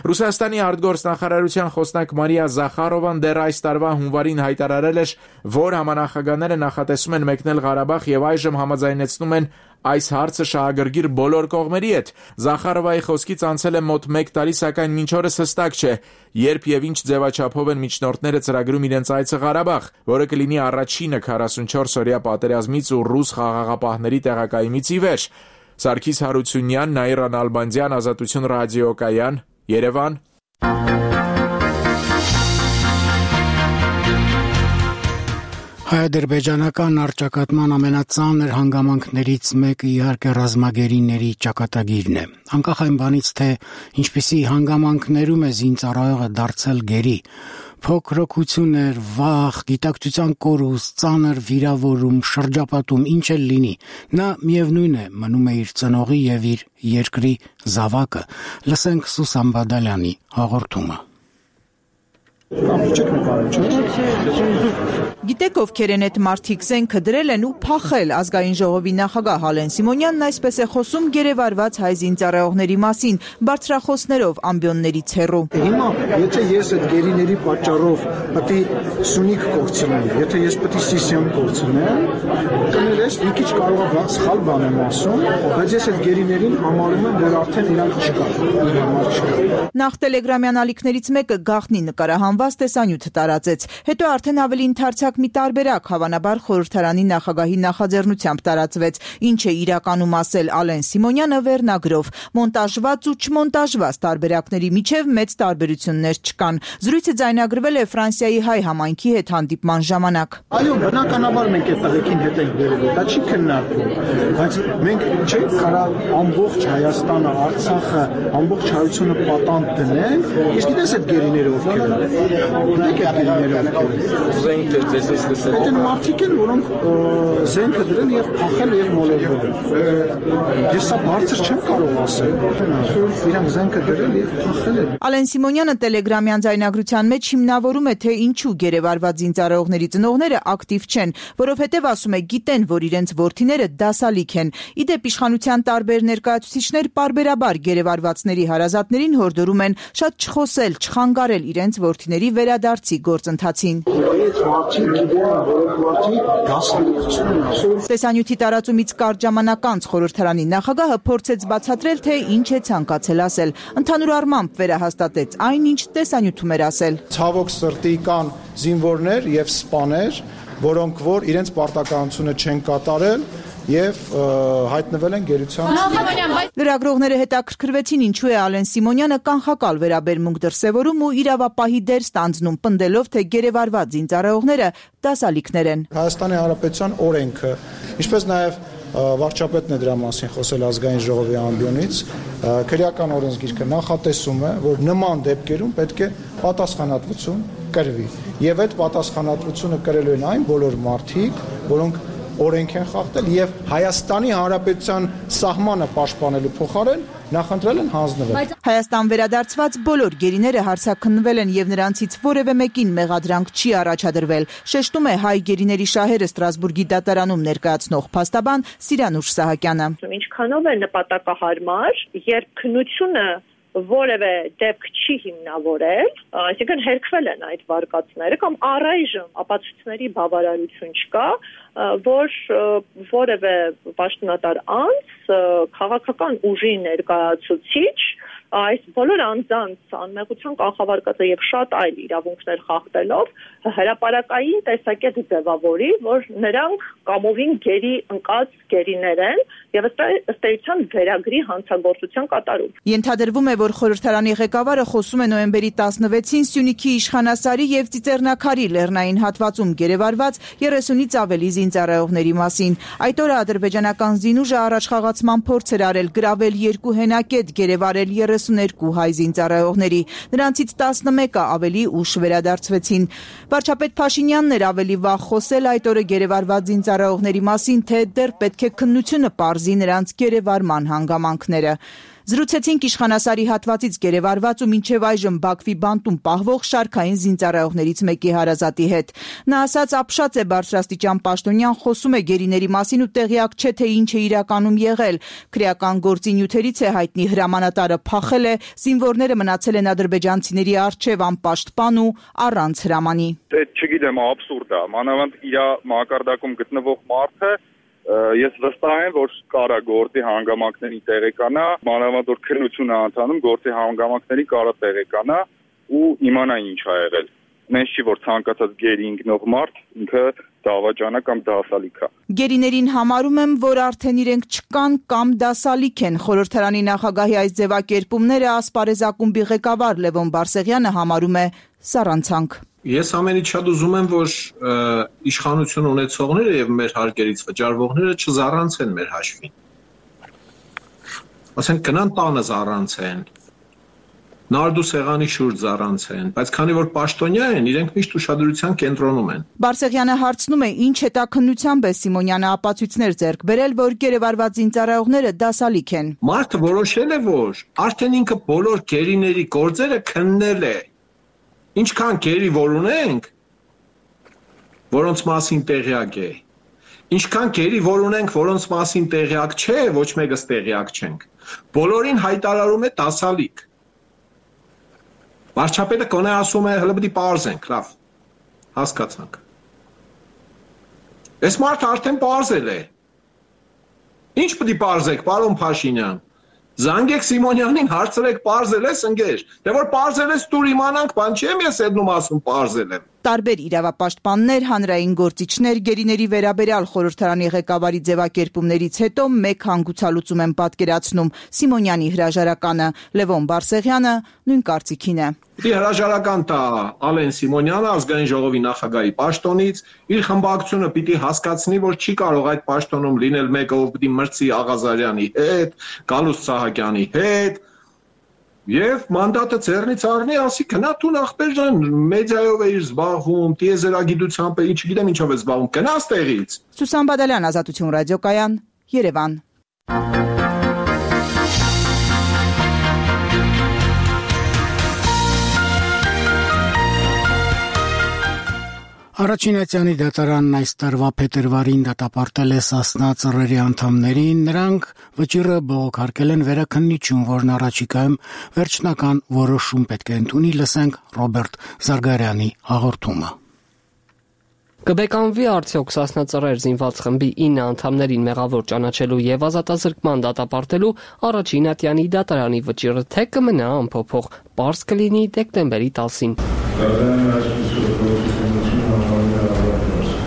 Ռուսաստանի արտգործնախարարության խոսնակ Մարիա Զախարովան դեռ այս տարվա հունվարին հայտարարել էր, որ համանախագահները նախատեսում են մեկնել Ղարաբաղ եւ այժմ համաձայնեցնում են այս հարցը շահագրգիռ բոլոր կողմերի հետ։ Զախարովայի խոսքից անցել է մոտ մեկ տարի, սակայն մինչ օրս հստակ չէ, երբ եւ ինչ ձևաչափով են միջնորդները ծրագրում իրենց այցը Ղարաբաղ, որը կլինի առաջինը քառասունչորս օրյա պատերազմից ու ռուս խաղաղապահների տեղակայումից ի վեր։ Սարգիս Հարությունյան, Նաիրա Նալբանդյան, Ազատություն ռադիոկայան, Երևան։ Հայ-ադրբեջանական առճակատման ամենածանր հանգամանքներից մեկը իհարկե ռազմագերիների ճակատագիրն է։ Անկախ այն բանից, թե ինչպիսի հանգամանքներում է զինծառայողը դարձել գերի, փոքրοκություններ, վախ, գիտակցության կորուստ, ծանր վիրավորում, շրջապատում, ինչ էլ լինի, նա միևնույն է մնում է իր ծնողի եւ իր երկրի զավակը։ Լսենք Սուսան Բադալյանի հաղորդումը։ Գիտեք ովքեր են այդ մարդիկ, զենքը դրել են ու փախել։ Ազգային ժողովի նախագահ Հալեն Սիմոնյանն այսպես է խոսում գերեվարված հայ զինծառայողների մասին, բարձրախոսներով ամբիոններից հեռու։ Հիմա, եթե ես այդ գերիների պատճառով պետք է Սյունիք կորցնեմ, եթե ես պետք է Սիսիան կորցնեմ, կներես մի քիչ կարող է բաց սխալ բան եմ ասում, բայց ես այդ գերիներին համարում եմ, որ արդեն իրանք չկան։ Նախ տելեգրամյան ալիքներից մեկը գաղտնի նկարահանված տեսանյութ տարածեց, հետո արդեն ավելի ընդարձակ մի տարբերակ հավանաբար խորհրդարանի նախագահի նախաձեռնությամբ տարածվեց, ինչ է իրականում ասել Ալեն Սիմոնյանը վերնագրով։ Մոնտաժված ու չմոնտաժված տարբերակների միջև մեծ տարբերություններ չկան։ Զրույցը ձայնագրվել է Ֆրանսիայի հայ համայնքի հետ հանդիպման ժամանակ։ Այո, բնականաբար մենք այդ տղեկին հետ ենք վերել, դա չի քննարկվում, բայց մենք չենք կարող ամբողջ Հայաստանը, Արցախը, ամբողջ հայությունը պատանդ դնենք։ Իսկ գիտես այդ գերիները ովքեր են։ Գիտեք այդ գերիները ովքեր են։ Զենքը ձեզ էս լսել։ Այդ մարդիկ են, որոնք զենքը դրել եւ փախել եւ մոլորվել։ Ես սա բարձր չեմ կարող ասել։ Իրանք զենքը դրել եւ փախել են։ Ալեն Սիմոնյանը տելեգրամյան ձայնագրության մեջ հիմնավորում է, թե ինչու գերեվարված զինծառայողների ծնողները ակտիվ չեն, որովհետեւ ասում է գիտեն, որ իրենց որդիները դասալիք են։ Իդեպ իշխանության տարբեր ներկայացուցիչներ պարբերաբար գերեվարվածների հարազատներին հորդորում են շատ չխոսել, չխանգարել իրենց որդիների վերադարձի գործընթացին։ Տեսանյութի տարածումից կարճ ժամանակ անց խորհրդարանի նախագահը փորձեց բացատրել, թե ինչ է ցանկացել ասել։ Ընդհանուր առմամբ վերահաստատեց այն, ինչ տեսանյութում էր ասել։ Ցավոք սրտի կան զինվորներ եւ սպաներ, որոնք որ իրենց պարտականությունը չեն կատարել եւ հայտնվել են գերության։ Լրագրողները հետաքրքրվեցին, ինչու է Ալեն Սիմոնյանը կանխակալ վերաբերմունք դրսևորում ու իրավապահի դեր ստանձնում, պնդելով, թե գերեվարված զինծառայողները դասալիքներ են։ Հայաստանի Հանրապետության օրենքը, ինչպես նաեւ վարչապետն է դրա մասին խոսել ազգային ժողովի ամբիոնից, քրեական օրենսգիրքը նախատեսում է, որ նման դեպքերում պետք է պատասխանատվություն կրվի։ Եվ այդ պատասխանատվությունը կրելու են այն բոլոր մարդիկ, որոնք օրենք են խախտել եւ Հայաստանի Հանրապետության սահմանը պաշտպանելու փոխարեն նախընտրել են հանձնվել։ Հայաստան վերադարձված բոլոր գերիները հարցաքննվել են եւ նրանցից որևէ մեկին մեղադրանք չի առաջադրվել, շեշտում է հայ գերիների շահերը Ստրասբուրգի դատարանում ներկայացնող փաստաբան Սիրանուշ Սահակյանը։ Ինչքանով է նպատակահարմար, երբ քննությունը որևէ դեպք չի հիմնավորել, այսինքն հերքվել են այդ վարկածները կամ առայժմ ապացույցների բավարարություն չկա, որ որևէ պաշտոնատար անձ քաղաքական ուժի ներկայացուցիչ այս բոլոր անձանց անմեղության կանխավարկածը եւ շատ այլ իրավունքներ խախտելով հրապարակային տեսակետ ձևավորի, որ նրանք կամովին գերի ընկած գերիներ են եւ ըստ էության վերագրի հանցագործության կատարում։ Ենթադրվում է, որ խորհրդարանի ղեկավարը խոսում է նոյեմբերի տասնվեցին Սյունիքի Իշխանասարի եւ Ծիծեռնակարի լեռնային հատվածում գերեվարված երեսունից ավելի զինծառայողների մասին։ Այդ օրը ադրբեջանական զինուժը առաջխաղացման փորձ էր արել, գրավել երկու հենակետ, գերեվարել երեսուներկու հայ զինծառայողների։ Նրանցից տասնմեկը ավելի ուշ վերադարձվեցին։ Վարչապետ Փաշինյանն էր ավելի վաղ խոսել այդ օրը գերեվարված զինծառայողների մասին, թե դեռ պետք է քննությունը պարզի նրանց գերեվարման հանգամանքները։ Զրուցեցինք Իշխանասարի հատվածից գերեվարված ու մինչև այժմ Բաքվի բանտում պահվող շարքային զինծառայողներից մեկի հարազատի հետ։ Նա ասաց, ապշած է բարձրաստիճան պաշտոնյան, խոսում է գերիների մասին ու տեղյակ չէ, թե ինչ է իրականում եղել։ Քրեական գործի նյութերից է հայտնի հրամանատարը փախել է, զինվորները մնացել են ադրբեջանցիների առջև անպաշտպան ու առանց հրամանի։ Այդ չգիտեմ, աբսուրդ է, մանավանդ իր մակարդակում գտնվող մարդը ես վստահ եմ, որ կարա գործի հանգամանքների տեղեկանա, մանավանդ որ քննություն է ընթանում, գործի հանգամանքների կարա տեղեկանա ու իմանա ինչ ա եղել։ Նենց չի, որ ցանկացած գերի ինքնող մարդ ինքը դավաճանա կամ դասալիք է։ Գերիներին համարում եմ, որ արդեն իրենք չկան կամ դասալիք են։ Խորհրդարանի նախագահի այս ձևակերպումները ասպարեզակումբի ղեկավար Լևոն Բարսեղյանը համարում է սառանցանք։ Ես ամենից շատ ուզում եմ, որ իշխանություն ունեցողները եւ մեր հարկերից վճարվողները չզառանցեն մեր հաշվին։ Ասենք գնան տանը զառանցեն, նարդու սեղանի շուրջ զառանցեն, բայց քանի որ պաշտոնյա են, իրենք միշտ ուշադրության կենտրոնում են։ Բարսեղյանը հարցնում է, ինչ հետաքննությամբ է Սիմոնյանը ապացույցներ ձեռք բերել, որ գերեվարված զինծառայողները դասալիք են։ Մարդը որոշել է, որ արդեն ինքը բոլոր գերիների գործերը քննել է։ Ինչքան գերի որ ունենք, որոնց մասին տեղյակ է, ինչքան գերի որ ունենք, որոնց մասին տեղյակ չէ, ոչ մեկս տեղյակ չենք, բոլորին հայտարարում է դասալիք։ Վարչապետը կոնե ասում է, հələ պետք է պարզենք, լավ, հասկացանք։ Այս մարդը արդեն պարզել է։ Ինչ պետք է պարզեք, պարոն Փաշինյան։ Զանգեք Սիմոնյանին, հարցրեք, պարզել ես ընկեր։ Դե որ պարզել ես, դուր իմանանք, բան չեմ ես այդնում ասում պարզել եմ։ Տարբեր իրավապաշտպաններ, հանրային գործիչներ, գերիների վերաբերյալ խորհրդարանի ղեկավարի ձևակերպումներից հետո մեկ հանգուցալուծում են պատկերացնում Սիմոնյանի հրաժարականը։ Լևոն Բարսեղյանը նույն կարծիքին է։ Պիտի հրաժարական տա Ալեն Սիմոնյանը ազգային ժողովի նախագահի պաշտոնից, իր խմբակցությունը պիտի հասկացնի, որ չի կարող այդ պաշտոնում լինել մեկը, ով պիտի մրցի Աղազարյանի հետ, Գալուստ Սահակյանի հետ, եւ մանդատը ձեռնից առնի, ասի գնա տուն ախպեր ջան, մեդիայով է իր զբաղվում, տիեզերագիտությամբ է, ինչ գիտեմ ինչով է զբաղվում, գնաց տեղից։ Սուսան Բադալյան, Ազատություն ռադիոկայան, Երևան։ Առաջինացյանի դատարանն այս տարվա փետրվարին դատապարտել է Սասնա ծռերի անդամներին, նրանք վճիռը բողոքարկել են վերաքննիչում, որն առաջիկայում վերջնական որոշում պետք է ընդունի, լսենք Ռոբերտ Զարգարյանի հաղորդումը։ Կբեկանվի արդյոք Սասնա ծռեր զինված խմբի ինը անդամներին մեղավոր ճանաչելու եւ ազատազրկման դատապարտելու առաջին ատյանի դատարանի վճիռը թե կմնա անփոփոխ, պարզ կլինի դեկտեմբերի տասին։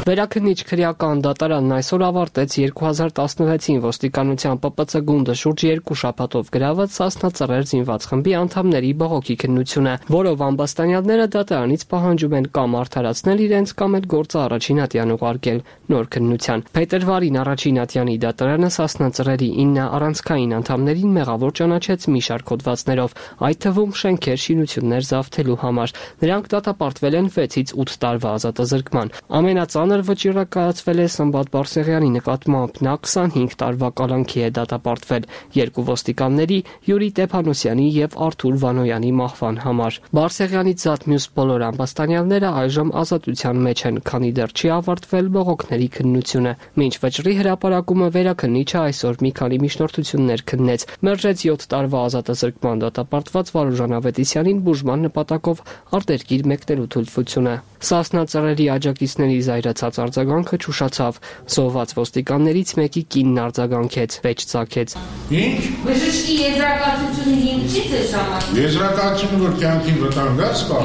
Վերաքննիչ քրեական դատարանն այսօր ավարտեց երկու հազար տասնվեցին ոստիկանության Պ Պ Ց գունդը շուրջ երկու շաբաթով գրաված Սասնա ծռեր զինված խմբի անդամների բողոքի քննությունը, որով ամբաստանյալները դատարանից պահանջում են կամ արդարացնել իրենց, կամ էլ գործը առաջին ատյան ուղարկել նոր քննության։ Փետրվարին առաջին ատյանի դատարանը Սասնա ծռերի ինը առանցքային անդամներին մեղավոր ճանաչեց մի շարք հոդվածներով, այդ թվում շենքեր, շինություններ զավթելու համար։ Նրանք դատապարտվել են վեցից ութ տարվա ազատազրկման։ Ամենածանր վճիռը կայացվել է Սմբատ Բարսեղյանի նկատմամբ, նա քսանհինգ տարվա կալանքի է դատապարտվել երկու ոստիկանների Յուրի Տեփանոսյանի եւ Արթուր Վանոյանի մահվան համար։ Բարսեղյանից զատ մյուս բոլոր ամբաստանյալները այժմ ազատության մեջ են, քանի դեռ չի ավարտվել բողոքների քննությունը։ Մինչ վճռի հրապարակումը վերաքննիչը այսօր մի քանի միջնորդություններ քննեց, մերժեց յոթ տարվա ազատազրկման դատապարտված Վարուժան Ավետիսյանին բուժման նպատակով արտերկիր մեկնելու թույլտվությունը։ Սասնա ծռերի աջակիցների զայրացած ստացած արձագանքը չուշացավ։ Զոհված ոստիկաններից մեկի կինն արձագանքեց, վեճ ծագեց։ Ինչ? Բժշկի եզրակացությունը ինչից է ժամանակ։ Եզրակացությունը որ կյանքին վտանգած կա։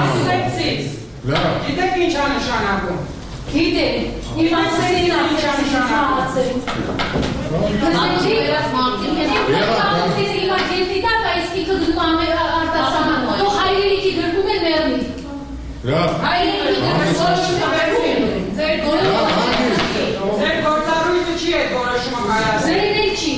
Ասեցից։ Լավ։ Գիտեք ինչ է նշանակում։ Գիտեք։ Իմացեցին ինչ է նշանակում։ Անջի վերած մարդիկ են։ Իմացեցին հիմա գետիտա կայսկի կգնում ամեր արտասանան։ Դու հայրենիքի գրկում են մերնի։ Լավ։ Հայրենիքի գրկում են։ Ձեր գործառույթը չի է որոշումը կայացել։ Ձերին էլ չի։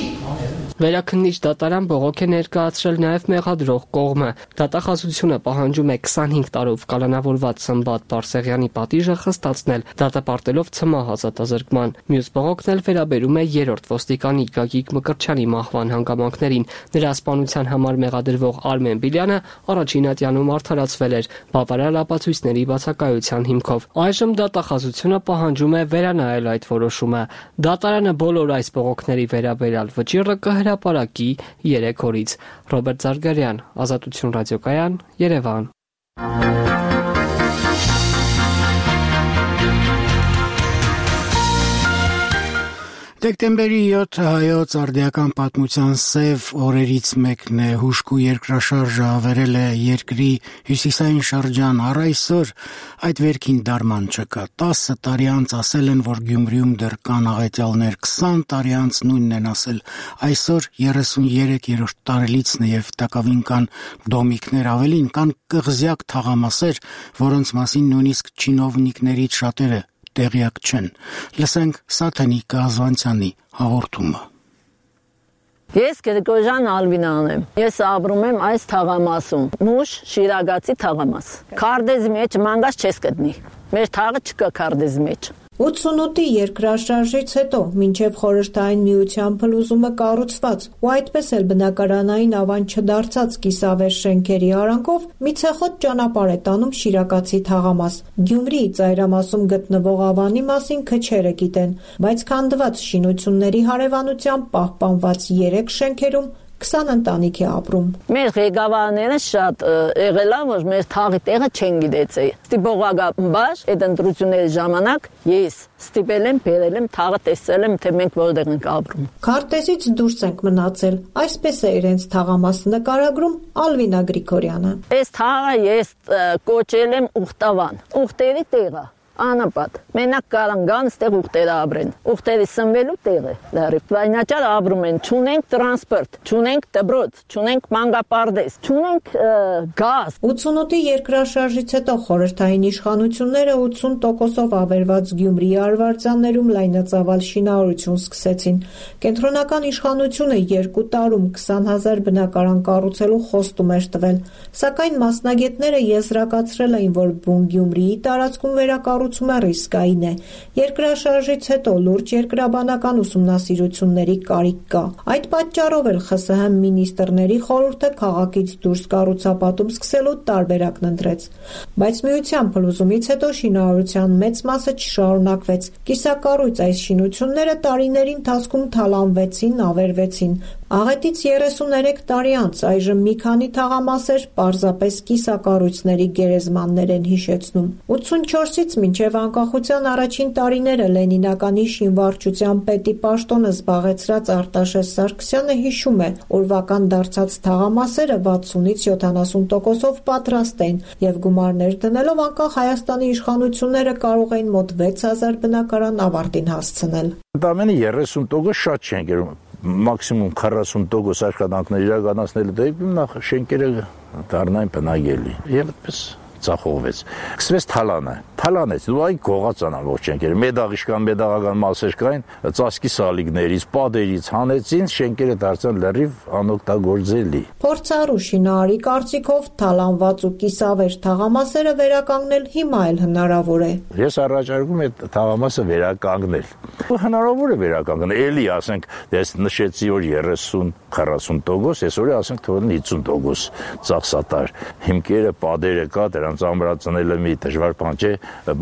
Վերաքննիչ դատարան բողոք է ներկայացրել նաև մեղադրող կողմը։ Դատախազությունը պահանջում է քսանհինգ տարով կալանավորված Սմբատ Բարսեղյանի պատիժը խստացնել, դատապարտելով ցմահ ազատազրկման։ Մյուս բողոքն էլ վերաբերում է երրորդ ոստիկանի Գագիկ Մկրտչյանի մահվան հանգամանքներին։ Նրա սպանության համար մեղադրվող Արմեն Բիլյանը առաջին ատյանում արդարացվել էր բավարար ապացույցների բացակայության հիմքով։ Այժմ դատախազությունը պահանջում է վերանայել այդ որոշումը։ Դատարանը բոլոր այս բողոքների վերաբերյալ վճիռը կհրապարակի երեք օրից։ Ռոբերտ Զարգարյան, Ազատություն ռադիոկայան, Երևան։ Դեկտեմբերի յոթը հայոց արդիական պատմության սև օրերից մեկն է, հուժկու երկրաշարժը ավերել է երկրի հյուսիսային շրջան, առ այսօր այդ վերքին դարման չկա։ տասը տարի անց ասել են, որ Գյումրիում դեռ կան աղետյալներ, քսան տարի անց նույնն են ասել, այսօր երեսուներեք տարելիցն է և տակավին կան դոմիկներ, ավելին կան կղզյակ թաղամասեր, որոնց մասին նույնիսկ չինովնիկներից շատերը տեղյակ չեն։ Լսենք Սաթենի Կազվանցյանի հաղորդումը։ Ես Գրիգորյան Ալվինան եմ։ Ես ապրում եմ այս թաղամասում, Մուշ Շիրագացի թաղամաս։ Քարդեզի մեջ մանգած չես գտնի։ Մեր թաղը չկա քարդեզի մեջ։ ութսունութի երկրաշարժից հետո մինչև խորհրդային միության փլուզումը կառուցված ու այդպես էլ բնակարանային ավան չդարձած կիսավեր շենքերի արանքով մի ցեխոտ ճանապարհ է տանում Շիրակացի թաղամաս։ Գյումրիի ծայրամասում գտնվող ավանի մասին քչերը գիտեն, բայց քանդված շինությունների հարևանությամբ պահպանված երեք շենքերում քսան ընտանիք է ապրում։ Մեր ղեկավարները շատ եղել են, որ մեր թաղի տեղը չեն գիտեցել։ Ստիպողական այդ ընտրությունների ժամանակ ես ստիպել եմ, բերել եմ, թաղը տեսել եմ, թե մենք որտեղ ենք ապրում։ Քարտեզից դուրս ենք մնացել, այսպես է իրենց թաղամասը նկարագրում Ալվինա Գրիգորյանը։ Այս թաղը ես կոչել եմ Ուխտավան, Ուխտերի տեղը։ Անապատ, մենակ կարան գան ստեղ ուղտերը ապրեն, ուղտերի սնվելու տեղը, լարիվ, վայնաճար ապրում են, չունենք տրանսպորտ, չունենք դբրոց, չունենք մանգապարդես, չունենք գազ։ ութսունութի երկրաշարժից հետո խորհրդային իշխանությունները ութսուն տոկոսով ավերված Գյումրիի արվարձաններում լայնածավալ շինարարություն սկսեցին։ Կենտրոնական իշխանությունը երկու տարում քսան հազար բնակարան կառուցելու խոստում էր տվել, սակայն մասնագետները եզրակացրել էին, որ բուն Գյումրիի տարածքում վերակառուցումը ռիսկային է։ Երկրաշարժից հետո լուրջ երկրաբանական ուսումնասիրությունների կարիք կա։ Այդ պատճառով էլ ԽՍՀՄ մինիստրների խորհուրդը քաղաքից դուրս կառուցապատում սկսելու տարբերակն ընտրեց։ Բայց միության փլուզումից հետո շինարարության մեծ մասը չշարունակվեց։ Կիսակառույց այս շինությունները տարիների ընթացքում թալանվեցին, ավերվեցին։ Աղետից երեսուներեք տարի անց այժմ մի քանի թաղամասեր պարզապես կիսակառույցների գերեզմաններ են հիշեցնում։ ութսունչորսից մինչև անկախության առաջին տարիները Լենինականի շինվարչության պետի պաշտոնը զբաղեցրած Արտաշես Սարգսյանը հիշում է, օրվական դարձած թաղամասերը վաթսունից յոթանասուն տոկոսով պատրաստ են և գումարներ դնելով անկախ Հայաստանի իշխանությունները կարող էին մոտ վեց հազար բնակարան ավարտին հասցնել։ Ընդամենը երեսուն տոկոս շատ չեն գերում, մաքսիմում քառասուն տոկոս աշխատանքներ իրականացնելու դեպքում նախ շենքերը դառնային բնակելի եւ այդպես ծախողվեց։ Սկսվեց թալանը, թալանեց, դու այն գողացան ամբողջ շենքերը, մեդաղիշկան, մեդաղական մասեր կային, ծածկի սալիկներից, պատերից հանեցին, շենքերը դարձան լրիվ անօգտագործելի։ Փորձառու շինարարի կարծիքով թալանված ու կիսավեր թաղամասերը վերականգնել հիմա էլ հնարավոր է։ Ես առաջարկում եմ թաղամասը վերականգնել։ Հնարավոր է վերականգնել, էլի ասենք, ես նշեցի որ երեսուն քառասուն տոկոս, այսօր ասենք թողնի հիսուն տոկոս ծախսատար։ Հիմքերը, պատերը կա, դրանց ամրացնելը մի դժվար բան չէ,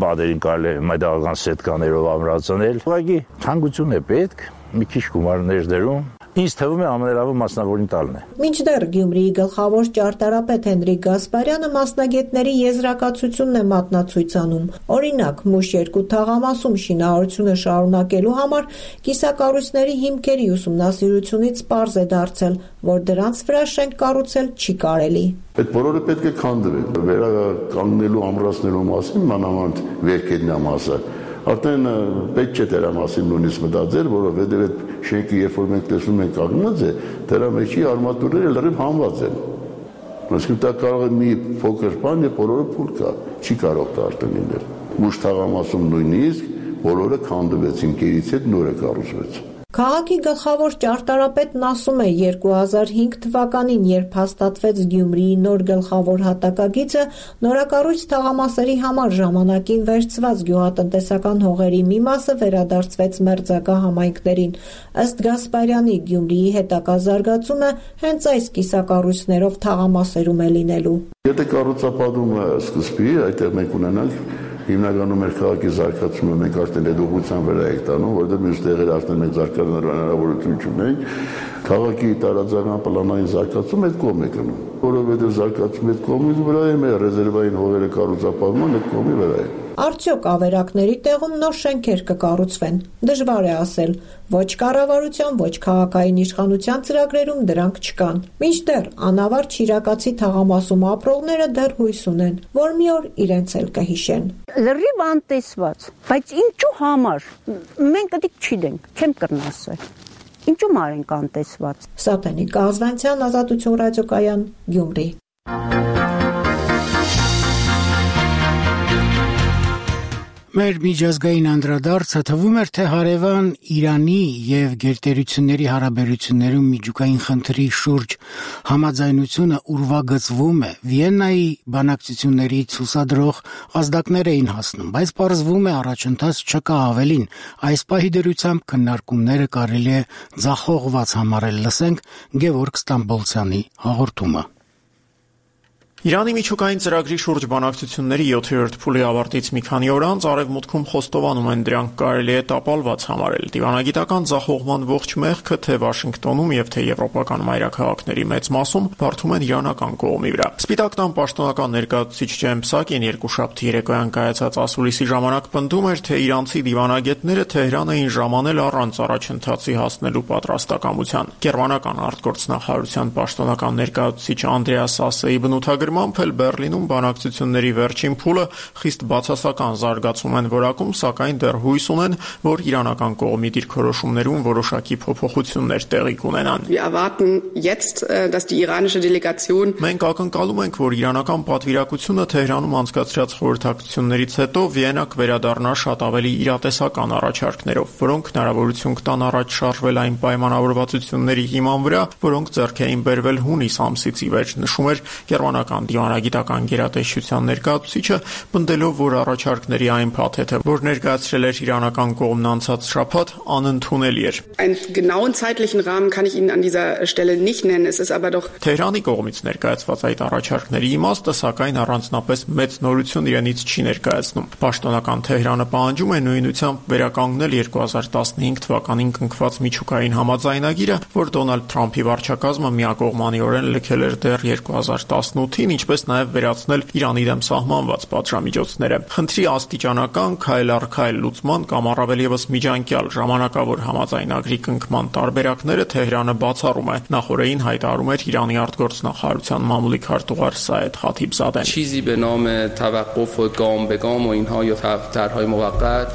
բادرին կարելի է մեդաղական սետկաներով ամրացնել։ Ուղղակի ցանկություն է պետք, մի քիչ գումարներ դերում։ Ինձ թվում է ամենալավը մասնավորին տալն է։ Մինչդեռ Գյումրիի գլխավոր ճարտարապետ Հենրիկ Գասպարյանը մասնագետների եզրակացությունն է մատնացույց անում։ Օրինակ, Մուշ երկու թաղամասում շինարարությունը շարունակելու համար կիսակառույցների հիմքերի ուսումնասիրությունից պարզ է դարձել, որ դրանց վրա շենք կառուցել չի կարելի։ Այդ բոլորը պետք է քանդվեն։ Վերականգնելու ամրացնելու մասին մանավանդ վերքետնամասը արդեն պետք չէ դրա մասին նույնիսկ մտածել, որովհետև այդ շենքը երբ որ մենք տեսնում ենք կանգնած է, դրա մեջի արմատուրները լրիվ հանված են։ Այսինքն դա կարող է մի փոքր բան եւ բոլորը փուլ կա, չի կարող դա արդեն լինել։ Մուշ թաղամասում նույնիսկ բոլորը քանդվեցին, գերից հետ նորը կառուցվեց։ Քաղաքի գլխավոր ճարտարապետն ասում է, երկու հազար հինգ թվականին, երբ հաստատվեց Գյումրիի նոր գլխավոր հատակագիծը, նորակառույց թաղամասերի համար ժամանակին վերցված գյուղատնտեսական հողերի մի մասը վերադարձվեց մերձակա համայնքներին։ Ըստ Գասպարյանի, Գյումրիի հետագա զարգացումը հենց այս կիսակառույցներով թաղամասերում է լինելու։ Եթե կառուցապատումը սկսվի, այդտեղ մենք ունենանք հիմնականում մեր քաղաքի զարգացումը մենք արդեն այդ ուղղության վրա ենք տանում, որովհետև մյուս տեղերը արդեն մենք զարգանալու հնարավորություն չունենք, քաղաքի տարածական պլանային զարգացում այդ կողմ է գնում, որովհետև զարգացում այդ կողմից վրա է, մեր ռեզերվային հողերը կառուցապատման այդ կողմի վրա է։ Արդյոք ավերակների տեղում նոր շենքեր կկառուցվեն։ Դժվար է ասել, ոչ կառավարության, ոչ քաղաքային իշխանության ծրագրերում դրանք չկան։ Մինչդեռ անավարտ Շիրակացի թաղամասում ապրողները դեռ հույս ունեն, որ մի օր իրենց էլ կհիշեն։ Լրիվ անտեսված, բայց ինչու համար։ Մենք դիք չգիտենք, չեմ կրնասել։ Ինչու մարենք անտեսված։ Սատենիկ Ազվանցյան, Ազատություն ռադիոկայան, Գյումրի։ Մեր միջազգային անդրադարձը թվում էր, թե հարևան Իրանի եւ գերտերությունների հարաբերություններում միջուկային խնդրի շուրջ համաձայնությունը ուրվագծվում է։ Վիեննայի բանակցություններից հուսադրող ազդակներ էին հասնում, բայց պարզվում է առաջընթաց չկա, ավելին։ Այս պահի դրությամբ քննարկումները կարելի է ձախողված համարել։ Լսենք Գևորգ Ստամբոլցյանի հաղորդումը։ Իրանի միջուկային ծրագրի շուրջ բանակցությունների յոթերորդ փուլի ավարտից մի քանի օր անց արևմուտքում խոստովանում են դրանք կարելի է տապալված համարել։ Դիվանագիտական ձախողման ողջ մեղքը թե Վաշինգտոնում եւ թե եվրոպական մայրաքաղաքների մեծ մասում բարդում են իրանական կողմի վրա։ Սպիտակ տան պաշտոնական ներկայացուցիչ Ջեմ Պսակին երկուշաբթի երեկոյան կայացած ասուլիսի ժամանակ պնդում էր, թե իրանցի դիվանագետները Թեհրան էին ժամանել առանց առաջընթացի հասնելու պատրաստակամության։ Գերմանական արտգործնախարարության պաշտոնական ներկայացուցիչ Անդրեաս Ասեի բնութագրմամբ էլ Բեռլինում բանակցությունների վերջին փուլը խիստ բացասական զարգացում են որակում, սակայն դեռ հույս ունեն, որ իրանական կողմի դիրքորոշումներում որոշակի փոփոխություններ տեղի կունենան։ Մենք ակնկալում ենք, որ իրանական պատվիրակությունը Թեհրանում անցկացրած խորհրդակցություններից հետո Վիեննա կվերադառնա շատ ավելի իրատեսական առաջարկներով, որոնք հնարավորություն կտան առաջ շարժվել այն պայմանավորվածությունների հիման վրա, որոնք ձեռք էին բերվել հունիս ամսից ի վեր, նշում էր գերմանական դիվանագիտական գերատեսչության ներկայացուցիչը, պնդելով, որ առաջարկների այն փաթեթը, որ ներկայացրել էր իրանական կողմն անցած շաբաթ, անընդունելի էր։ Թեհրանի կողմից ներկայացված այդ առաջարկների իմաստը, սակայն առանձնապես մեծ նորություն իրենից չի ներկայացնում։ Պաշտոնական Թեհրանը պահանջում է նույնությամբ վերականգնել երկու հազար տասնհինգ թվականին կնքված միջուկային համաձայնագիրը, որ Դոնալդ Թրամփի վարչակազմը միակողմանիորեն լքել էր դեռ երկու հազար տասնութին, ինչպես նաև վերացնել Իրանի դեմ սահմանված պատժամիջոցները։ Խնդրի աստիճանական քայլ առ քայլ լուծման կամ առավել եւս միջանկյալ ժամանակավոր համաձայնագրի կնքման տարբերակները Թեհրանը բացառում է։ Նախորդին հայտարարում էր Իրանի արտգործնախարարության մամուլի քարտուղար Սայեդ Խաթիբզադեն։ چیزی به نام توقف و گام به گام و اینها یا طرح‌های موقت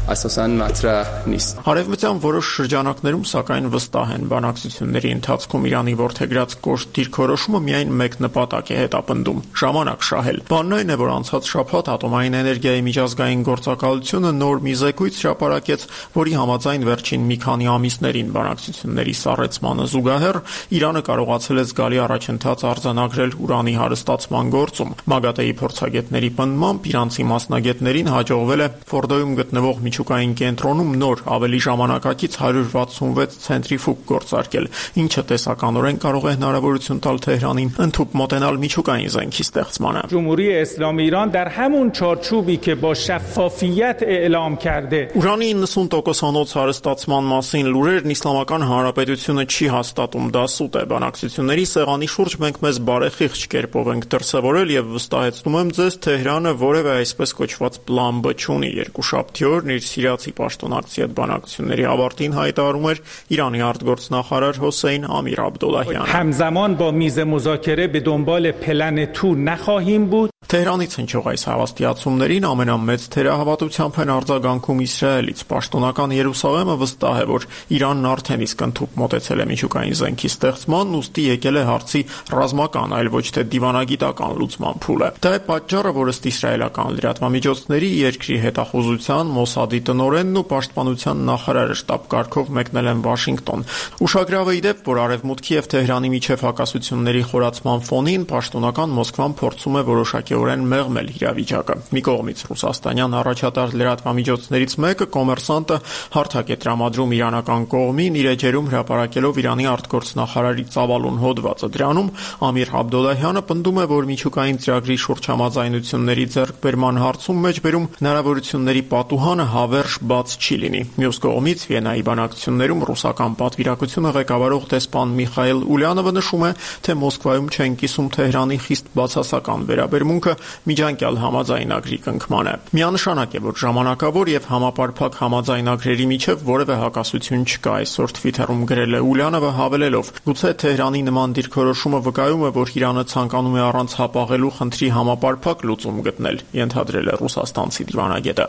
اساساً مطرح نیست. Հարևմտյան որոշ շրջանակներում սակայն վստահ են բանակցությունների ընթացքում Իրանի որդեգրած կոշտ դիրքորոշումը միայն մեկ նպատակ է հետապնդում՝ ժամանակ շահել։ Բանն այն է, որ անցած շաբաթ ատոմային էներգիայի միջազգային գործակալությունը նոր մի զեկույց հրապարակեց, որի համաձայն վերջին մի քանի ամիսներին բանակցությունների սառեցմանը զուգահեռ Իրանը կարողացել է զգալի առաջընթաց արձանագրել ուրանի հարստացման գործում։ ՄԱԳԱՏԵ-ի փորձագետների պնդմամբ իրանցի մասնագետներին հաջողվել է Ֆորդոյում գտնվող միջուկային կենտրոնում նոր ավելի ժամանակակից հարյուր վաթսունվեց ցենտրիֆուգ գործարկել, ինչը տեսականորեն կարող է հնարավորություն տալ Թեհրանին ընդհուպ մոտենալ միջուկային միջուկային զենքի ստեղծմանը։ جمهوری اسلامی ایران در همون چارچوبی که با شفافیت اعلام کرده Ուրանի իննսուն տոկոսանոց հարստացման մասին լուրերն Իսլամական Հանրապետությունը չի հաստատում, դա սուտ է։ Բանակցությունների սեղանի շուրջ մենք մեզ բարեխիղճ կերպով ենք դրսևորել եւ վստահեցնում եմ ձեզ, Թեհրանը որևէ այսպես կոչված պլան B չունի։ Երկուշաբթի օրն իր սիրիացի պաշտոնակցի հետ բանակցությունների ավարտին հայտարարում էր Իրանի արտգործնախարար Հոսեյն Ամիր Աբդոլլահյանը։ همزمان با میز مذاکره به دنبال پلن تو نخواهیم بود Թեհրանից հնչող այս հավաստիացումներին ամենամեծ թերահավատությամբ են արձագանքում Իսրայելից։ Պաշտոնական Երուսաղեմը վստահ է, որ Իրանն արդեն իսկ ընդհուպ մոտեցել է միջուկային զենքի ստեղծմանն, ուստի եկել է հարցի ռազմական, այլ ոչ թե դիվանագիտական լուծման փուլը։ Դա է պատճառը, որ ըստ իսրայելական լրատվամիջոցների երկրի հետախուզության, Մոսադի տնօրենն ու պաշտպանության նախարարը շտաբ կարգով մեկնել են Վաշինգտոն։ Ուշագրավ է ի դեպ, որ Արևմուտքի եւ Թեհրանի միջև հակասությունների խորացման ֆոնին պաշտոնական Մոսկվան փորձում է որոշակի օրեն մեղմել իրավիճակը։ Մի կողմից ռուսաստանյան առաջատար լրատվամիջոցներից մեկը Կոմերսանտը հարթակ է տրամադրում իրանական կողմին, իր էջերում հրապարակելով Իրանի արտգործնախարարի ծավալուն հոդվածը։ Դրանում Ամիր Աբդոլլահյանը պնդում է, որ միջուկային ծրագրի շուրջ համաձայնությունների ձեռքբերման հարցում մեջբերում հնարավորությունների պատուհանը հավերժ բաց չի լինի։ Մյուս կողմից Վիեննայի բանակցություններում ռուսական պատվիրակությունը ղեկավարող դեսպան Միխայել Ուլյանովը նշում է, թե Մոսկվայում չեն կիսում Թեհրանի խիստ բացասական վերաբերմունքը միջանկյալ համաձայնագրի կնքման է։ Միանշանակ է, որ ժամանակավոր եւ համապարփակ համաձայնագրերի միջև որևէ հակասություն չկա, այսօր Twitter-ում գրել է Ուլյանովը հավելելով. Գուցե Թեհրանի նման դիրքորոշումը վկայում է, որ Իրանը ցանկանում է առանց հապաղելու խնդրի համապարփակ լուծում գտնել, ենթադրել է ռուսաստանցի դիվանագետը։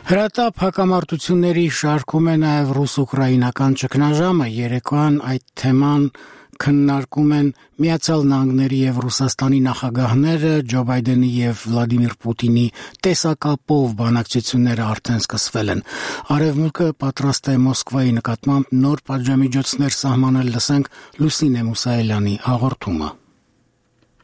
Հրատապ հակամարտությունների շարքում է նաև ռուս-ուկրաինական ճգնաժամը։ Երեկոյան այդ թեման քննարկում են Միացյալ Նահանգների եւ Ռուսաստանի նախագահները, Ջո Բայդենի եւ Վլադիմիր Պուտինի տեսակապով բանակցությունները արդեն սկսվել են։ Արևմուտքը պատրաստ է Մոսկվայի նկատմամբ նոր պատժամիջոցներ սահմանել, լսենք Լուսինե Մուսայելյանի հաղորդումը։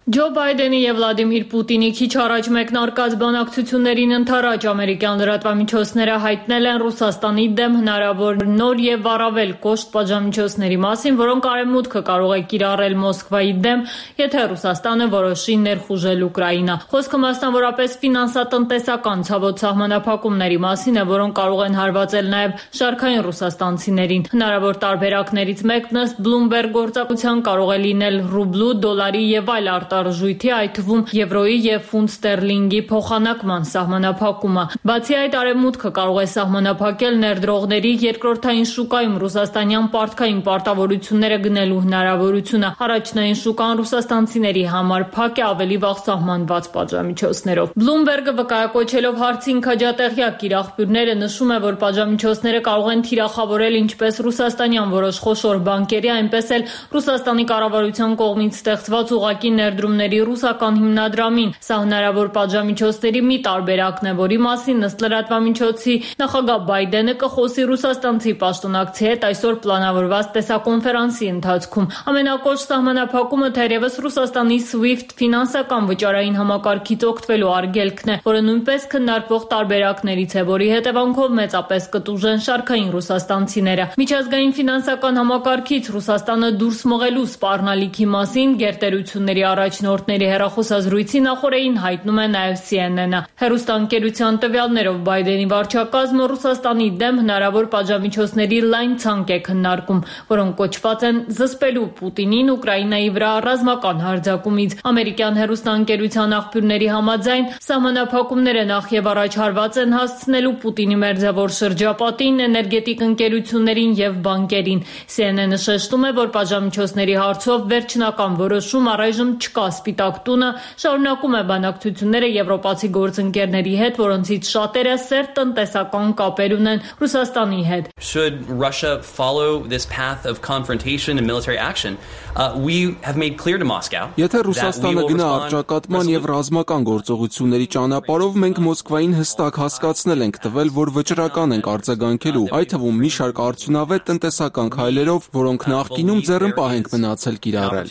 Ջո Բայդենի եւ Վլադիմիր Պուտինի քիչ առաջ մեկնարկած բանակցություններին ընթരാճ ամերիկյան լրատվամիջոցները հայտնել են Ռուսաստանի դեմ հնարավոր նոր եւ առավել կոշտ պատժամիջոցների մասին, որոնք Արևմուտքը կարող է կիրառել Մոսկվայի դեմ, եթե Ռուսաստանը որոշի ներխուժել Ուկրաինա։ Խոսքը մասնավորապես ֆինանսատնտեսական ցավոտ սահմանափակումների մասին է, որոնք կարող են հարվածել նաեւ շարքային ռուսաստանցիներին։ Հնարավոր տարբերակներից մեկն ըստ Bloomberg գործակցության կարող է լինել ռուբլու, դոլարի եւ այլ արտարժույթի, այդ թվում եվրոյի եւ ֆունտ ստերլինգի փոխանակման սահմանափակումը։ Բացի այդ, Արևմուտքը կարող է սահմանափակել ներդրողների երկրորդային շուկայում ռուսաստանյան պարտքային պարտավորությունները գնելու հնարավորությունը։ Առաջնային շուկան ռուսաստանցիների համար փակ է ավելի վաղ սահմանված պատժամիջոցներով։ Bloomberg-ը վկայակոչելով հարցին քաջատեղյակ իր աղբյուրները նշում է, որ պատժամիջոցները կարող են թիրախավորել ինչպես ռուսաստանյան որոշ խոշոր բանկերի, այնպես էլ Ռուսաստանի կառավարության կողմից ստեղծված ուղղակի ներդրումների ռուսական հիմնադրամին։ Սա հնարավոր պատժամիջոցների մի տարբերակն է, որի մասին ըստ լրատվամիջոցի նախագահ Բայդենը կխոսի ռուսաստանցի պաշտոնակցի հետ այսօր պլանավորված տեսակոնֆերանսի ընթացքում։ Ամենակոշտ սահմանափակումը թերևս Ռուսաստանի SWIFT ֆինանսական վճարային համակարգից օգտվելու արգելքն է, որը նույնպես քննարկվող տարբերակներից է, որի հետևանքով մեծապես կտուժեն շարքային ռուսաստանցիները։ Միջազգային ֆինանսական համակարգից Ռուսաստանը դուրս մղելու սպառնալիքի մասին գերտերությունների առաջնորդների հեռախոսազրույցի նախօրեին հայտնում է նաև C N N-ը։ Հեռուստաընկերության տվյալներով Բայդենի վարչակազմը Ռուսաստանի դեմ հնարավոր պատժամիջոցների լայն ցանկ է քննարկում, որոնք կոչված են զսպելու Պուտինին Ուկրաինայի վրա ռազմական հարձակումից։ Ամերիկյան հեռուստաընկերության աղբյուրների համաձայն սահմանափակումները նախ եւ առաջ հարված են հասցնելու Պուտինի մերձավոր շրջապատին, էներգետիկ ընկերություններին եւ բանկերին։ C N N-ը շեշտում է, որ պատժամիջոցների հարցով վերջնական որոշում առայժմ չկա։ Սպիտակ տունը շարունակում է բանակցությունները եվրոպացի գործընկերների հետ, որոնցից շատերը սերտ տնտեսական կապեր ունեն Ռուսաստանի հետ։ Should Russia follow this path of confrontation and military action, uh, we have made clear to Moscow. Եթե Ռուսաստանը գնա առճակատման եւ ռազմական գործողությունների ճանապարհով, մենք Մոսկվային հստակ հասկացնել ենք տվել, որ վճռական ենք արձագանքելու, այդ թվում մի շարք արդյունավետ տնտեսական քայլերով, որոնք նախկինում ձեռնպահ ենք մնացել կիրառել։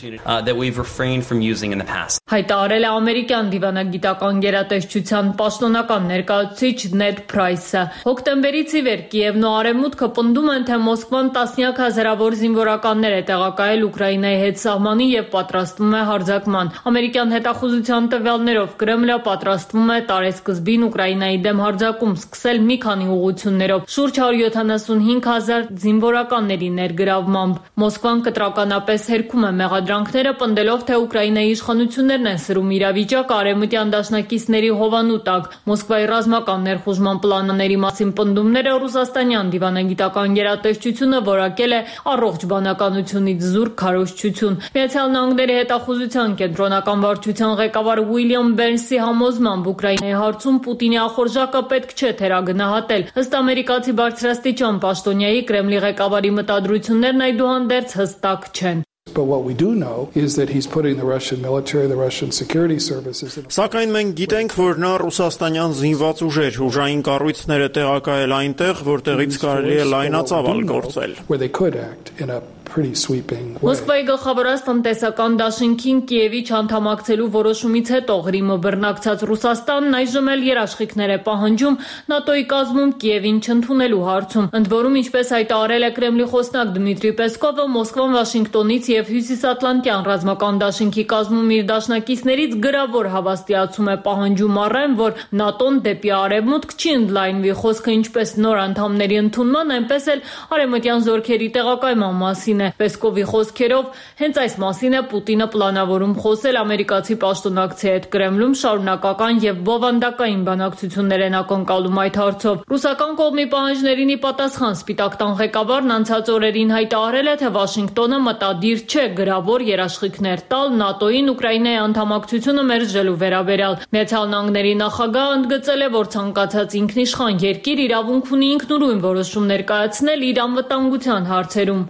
using in the past. Հայտարարել է ամերիկյան դիվանագիտական գերատեսչության պաշտոնական ներկայացուցիչ Նեդ Փրայսը։ Հոկտեմբերից ի վեր Կիևն ու Արևմուտքը պնդում են, թե Մոսկվան տասնյակ հազարավոր զինվորականներ է տեղակայել Ուկրաինայի հետ սահմանի եւ պատրաստվում է հարձակման։ Ամերիկյան հետախուզության տվյալներով Կրեմլը պատրաստվում է տարեսկզբին Ուկրաինայի դեմ հարձակում սկսել մի քանի ուղղություններով, շուրջ հարյուր յոթանասունհինգ հազար զինվորականների ներգրավմամբ։ Մոսկվան կտրականապես հերքում է մեղադրանքները, պնդելով, թե Ուկրաինայի իշխանություններն են սրում իրավիճակը արևմտյան դաշնակիցների հովանու տակ։ Մոսկվայի ռազմական ներխուժման պլանների մասին պնդումները ռուսաստանյան դիվանագիտական գերատեսչությունը որակել է առողջ բանականությունից զուրկ քարոզչություն։ Միացյալ Նահանգների հետախուզության կենտրոնական վարչության ղեկավար Ուիլյամ Բերնսի համոզմամբ Ուկրաինայի հարցում Պուտինի ախորժակը պետք չէ թերագնահատել։ Ըստ ամերիկացի բարձրաստիճան պաշտոնյայի Կրեմլի ղեկավարի մտադրություններն այդուհանդերձ հստակ չեն։ But what we do know is that he's putting the Russian military, the Russian security services in. Սակայն մենք գիտենք, որ նա ռուսաստանյան զինված ուժեր, ուժային կառույցները տեղակայել այնտեղ, որտեղից կարելի է լայնածավալ գործել։ Where they could act in a pretty sweeping way. Մոսկվայի գլխավորած տնտեսական դաշինքին Կիևի չանդամակցելու որոշումից հետո Ղրիմը բռնակցած Ռուսաստանն այժմ էլ երաշխիքներ է պահանջում ՆԱՏՕ-ի կազմում Կիևին չընդունելու հարցում։ Ընդ որում, ինչպես հայտարարել է Կրեմլի խոսնակ Դմիտրի Պեսկովը, Մոսկվան Վաշինգտոնից եւ Հյուսիսատլանտյան ռազմական դաշինքի կազմում իր դաշնակիցներից գրավոր հավաստիացում է պահանջում առեն, որ ՆԱՏՕ-ն դեպի արևմուտք չի ընդլայնվի, խոսքը ինչպես նոր անդամների ընդունման, այնպես էլ արևմտյան զորքերի տեղակայման մասին։ Պեսկովի խոսքերով հենց այս մասին է Պուտինը պլանավորում խոսել ամերիկացի պաշտոնակցի հետ Կրեմլում շարունակական եւ բովանդակային բանակցություններ են ակնկալում այդ հարցով։ Ռուսական կողմի պահանջներին ի պատասխան Սպիտակ տան ղեկավարն անցած օրերին հայտարարել է, թե Վաշինգտոնը մտադիր չէ գրավոր երաշխիքներ տալ ՆԱՏՕ-ին Ուկրաինայի անդամակցությունը մերժելու վերաբերյալ։ Միացյալ Նահանգների նախագահը ընդգծել է, որ ցանկացած ինքնիշխան երկիր իրավունք ունի ինքնուրույն որոշում ներկայացնել իր անվտանգության հարցերում։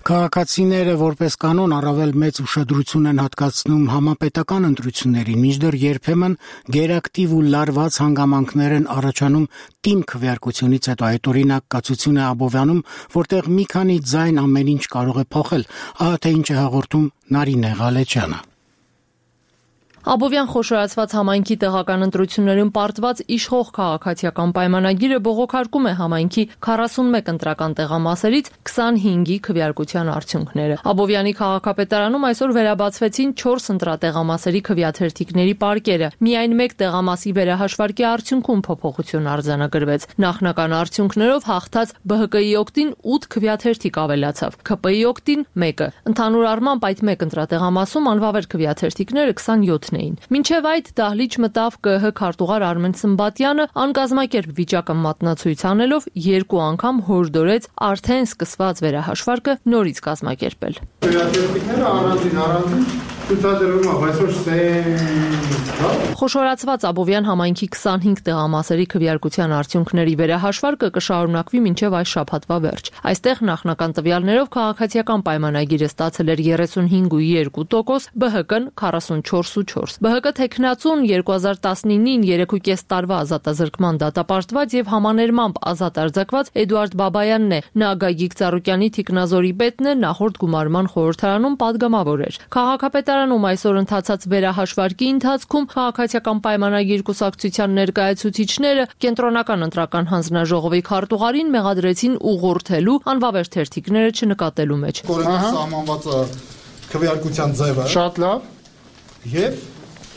Քաղաքացիները որպես կանոն առավել մեծ ուշադրություն են հատկացնում համապետական ընտրություններին, մինչդեռ երբեմն գերակտիվ ու լարված հանգամանքներ են առաջանում տիմ քվեարկությունից հետո։ Այդ օրինակ կացություն է Աբովյանում, որտեղ մի քանի ձայն ամեն ինչ կարող է փոխել։ Ահա թե ինչ է հաղորդում Նարինե Ղալեչյանը։ Աբովյան խոշորացված համայնքի տեղական ընտրություններում պարտված իշխող քաղաքացիական պայմանագիրը բողոքարկում է համայնքի քառասունմեկ ընտրական տեղամասերից քսանհինգի քվեարկության արդյունքները։ Աբովյանի քաղաքապետարանում այսօր վերաբացվեցին չորս ընտրատեղամասերի քվեաթերթիկների պարկերը։ Միայն մեկ տեղամասի վերահաշվարկի արդյունքում փոփոխություն արձանագրվեց։ Նախնական արդյունքներով հաղթած B H K-ի օգտին ութ քվեաթերթիկ ավելացավ, K P-ի օգտին մեկը։ Ընդհանուր առմամբ այդ մեկ ընտրատեղամասում անվավեր քվեաթերթիկները քսանյոթ էին։ Մինչև այդ դահլիճ մտավ K H քարտուղար Արմեն Սմբատյանը, անկազմակերպ վիճակը մատնացույց անելով երկու անգամ հորդորեց արդեն սկսված վերահաշվարկը նորից կազմակերպել։ Քվեաթերթիկները առանձին առանձին ցուցադրվում է, այսօր Խոշորացված Աբովյան համայնքի քսանհինգ տեղամասերի քվեարկության արդյունքների վերահաշվարկը կշարունակվի մինչև այս շաբաթվա վերջ։ Այստեղ նախնական տվյալներով քաղաքացիական պայմանագիրը ստացել էր երեսունհինգ ու երկու տոկոս, B H K-ն քառասունչորս ու չորս։ B H K թեկնածուն երկու հազար տասնինին երեք ու կես տարվա ազատազրկման դատապարտված եւ համաներմամբ ազատ արձակված Էդուարդ Բաբայանն է։ Նա Գագիկ Ծառուկյանի թիկնազորի պետն է, նախորդ գումարման խորհրդարանում падգամավոր էր։ Քաղաքապետարանում այսօր ընթացած վերահաշվարկի ընթացքում քաղաքացիական պայմանագիր կուսակցության ներկայացուցիչները կենտրոնական ընտրական հանձնաժողովի քարտուղարին մեղադրեցին ուղղորդելու անվավեր թերթիկները չնկատելու մեջ։ Կորոնա սահմանված քվեարկության ձևը շատ լավ եւ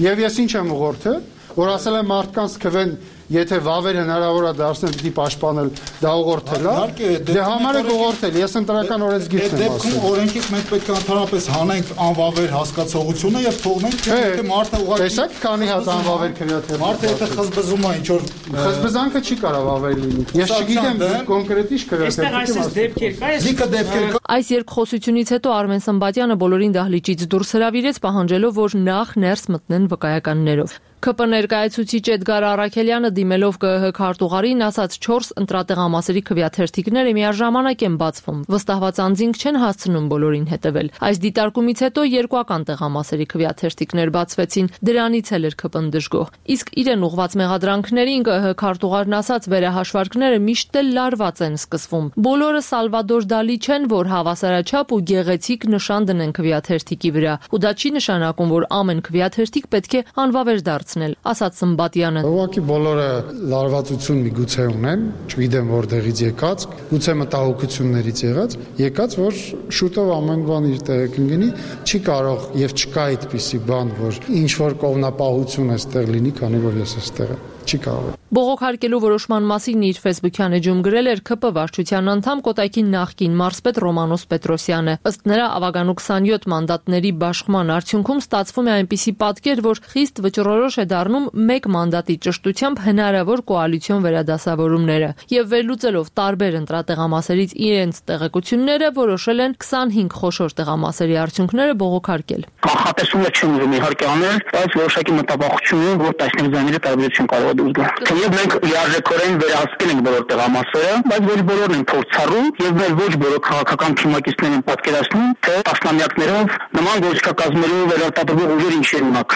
եւ ես ինչ եմ ուղղորդել, որ ասել եմ մարդկանց քվեն Եթե վավեր հնարավոր է դարձնել պիտի պաշտպանել, դա ուղղորդել է։ Դե համար է ուղղորդել, ես ընտրական օրենսգիրն եմ ասել։ Դեպքում օրենքից մենք պետք է ընդհանրապես հանենք անվավեր հասկացողությունը եւ թողնենք, թե մարդը ուղղակի Տեսեք, քանի հատ անվավեր քվեաթեր։ Մարդը եթե խզբզում է ինչ որ խզբզանքը չի կարող վավեր լինի։ Ես չգիտեմ կոնկրետ ինչ քվեաթեր։ Այստեղ այսպես դեպքեր կա, լիքը դեպքեր կա։ Այս երկխոսությունից հետո Արմեն Սմբատյանը բոլորին դահլիճից դուրս հրավիրեց, պահանջելով, որ նախ ներս մտնեն վկայականներով։ Ք Պ ներկայացուցիչ Էդգար Առաքելյանը դիմելով Կ ԸՀ քարտուղարին ասաց չորս ընտրատեղամասերի քվեաթերթիկները միաժամանակ են բացվում։ Վստահված անձինք չեն հասցնում բոլորին հետևել։ Այս դիտարկումից հետո երկուական տեղամասերի քվեաթերթիկներ բացվեցին, դրանից էլ էր Ք Պ-ն դժգոհ։ Իսկ իրեն ուղված մեղադրանքներին Կ ԸՀ քարտուղարն ասաց վերահաշվարկները միշտ էլ լարված են սկսվում։ Բոլորը Սալվադոր Դալի չեն, որ հավասարաչափ ու գեղեցիկ նշան դնեն քվեաթերթիկի վրա, ու դա չի նշանակում, որ ամեն քվեաթերթիկ պետք է անվավեր դարձնել, ասաց Սմբատյանը։ Ուղղակի բոլորը լարվածություն միգուցե ունեն, չգիտեմ որտեղից եկած, գուցե մտահոգություններից եղած, եկած, որ շուտով ամեն բան իր տեղը կընկնի, չի կարող եւ չկա այդպիսի բան, որ ինչ որ կողմնապահություն էստեղ լինի, քանի որ ես էստեղ եմ։ Չի կարող։ Բողոքարկելու որոշման մասին իր Facebook-յան էջում գրել էր Ք Պ վարչության անդամ Կոտայքի նախկին մարզպետ Ռոմանոս Պետրոսյանը։ Ըստ նրա ավագանու քսանյոթ մանդատների բաշխման արդյունքում ստացվում է այնպիսի պատկեր, որ խիստ վճռորոշ է դառնում մեկ մանդատի ճշտությամբ հնարավոր կոալիցիոն վերադասավորումները, եւ վերլուծելով տարբեր ընտրատեղամասերից իրենց տեղեկությունները որոշել են քսանհինգ խոշոր տեղամասերի արդյունքները բողոքարկել։ Կանխատեսումը չեմ ուզում իհարկե անել, բայց որոշակի մտաբախություն ունեմ, որ տասնյակ զայների տարբերություն կարող է դուրս գալ։ Թեև մենք լիարժեքորեն վերահսկել ենք բոլոր տեղամասերը, բայց ոչ բոլորն են փորձառու եւ մեր ոչ բոլոր քաղաքական թիմակիցներն են պատկերացնում, թե տասնամյակներով նման գործիքակազմերով վերարտադրող ուժեր ինչ են ունակ։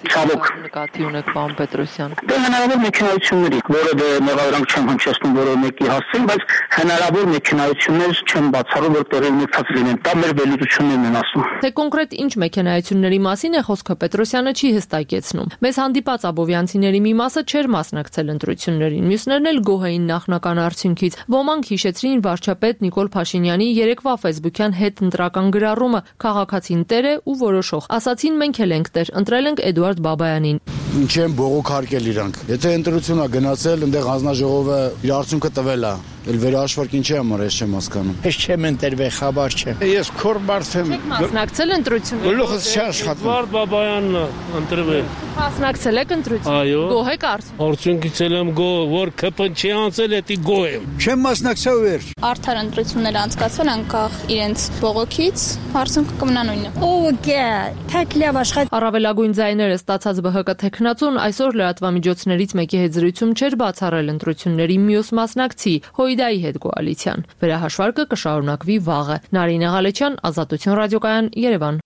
Ցավոք նկատի ունեք, պարոն Պետրոսյան։ Դե հնարավոր մեքենայությունների, որը դե մեղադրանք չեմ հնչեցնում որը մեկի հասցին, բայց հնարավոր մեքենայություններ չեմ բացառում, որ տեղի ունեցած լինեն։ Դա մեր վերլուծություններն են ասում։ Թե կոնկրետ ինչ մեքենայությունների մասին է խոսքը Պետրոսյանը չի հստակեցնում։ Մեզ հանդիպած աբովյանցիների մի մասը չէր մասնակցել ընտրություններին, մյուսներն էլ գոհ էին նախնական արդյունքից։ Ոմանք հիշեցրին վարչապետ Նիկոլ Փաշինյանի երեկվա Facebook-յան հետ ընտրական գրառումը քաղաքացին տեր է ու որոշող։ Ասացին մենք էլ ենք տեր, ընտրել ենք Էդուարդ Բաբայանին։ Ինչ են բողոքարկել իրանք։ Եթե ընտրություն է գնացել, այնտեղ հանձնաժողովը իր արդյունքը տվել է։ Էլ վերահաշվարկ ինչի համար ես չեմ հասկանում։ Ես չեմ ընտրվել, խաբար չեմ։ Ես քոր մարդ եմ։ Եք մասնակցել ընտրություններին։ Գլուխս չի աշխատում։ Էդվարդ Բաբայանն ընտրվել։ Մասնակցել եք ընտրություններին։ Այո։ Գոհ եք արդյունքից։ Արդյունքից եմ գոհ, որ Ք Պ-ն չի անցել, էդի գոհ եմ։ Չեմ մասնակցել վերջ։ Արդար ընտրություններ անցկացվել անկախ իրենց բողոքից, արդյունքը կմնա նույնը։ Օգե, թեքլավ աշխատ։ Առավելագույն ձայները ստացած Բ Հ Կ թեկնածուն այսօր լրատվամիջոցներից մեկի հետ զրույցում չէր բացառել ընտրությունների մյուս մասնակցի Հույդայի հետ կոալիցիան։ Վերահաշվարկը կշարունակվի վաղը։ Նարինե Ղալեչյան, Ազատություն ռադիոկայան, Երևան։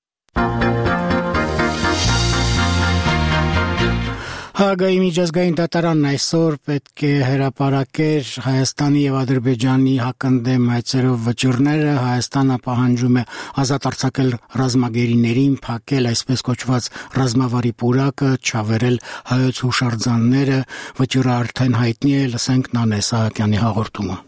Հաագայի միջազգային դատարանն այսօր պետք է հրապարակեր Հայաստանի եւ Ադրբեջանի հակընդդեմ հայցերով վճիռները։ Հայաստանը պահանջում է ազատ արձակել ռազմագերիներին, փակել այսպես կոչված ռազմավարի պուրակը, չավերել հայոց հուշարձանները։ Վճիռը արդեն հայտնի է, լսենք Նանե Սահակյանի հաղորդումը։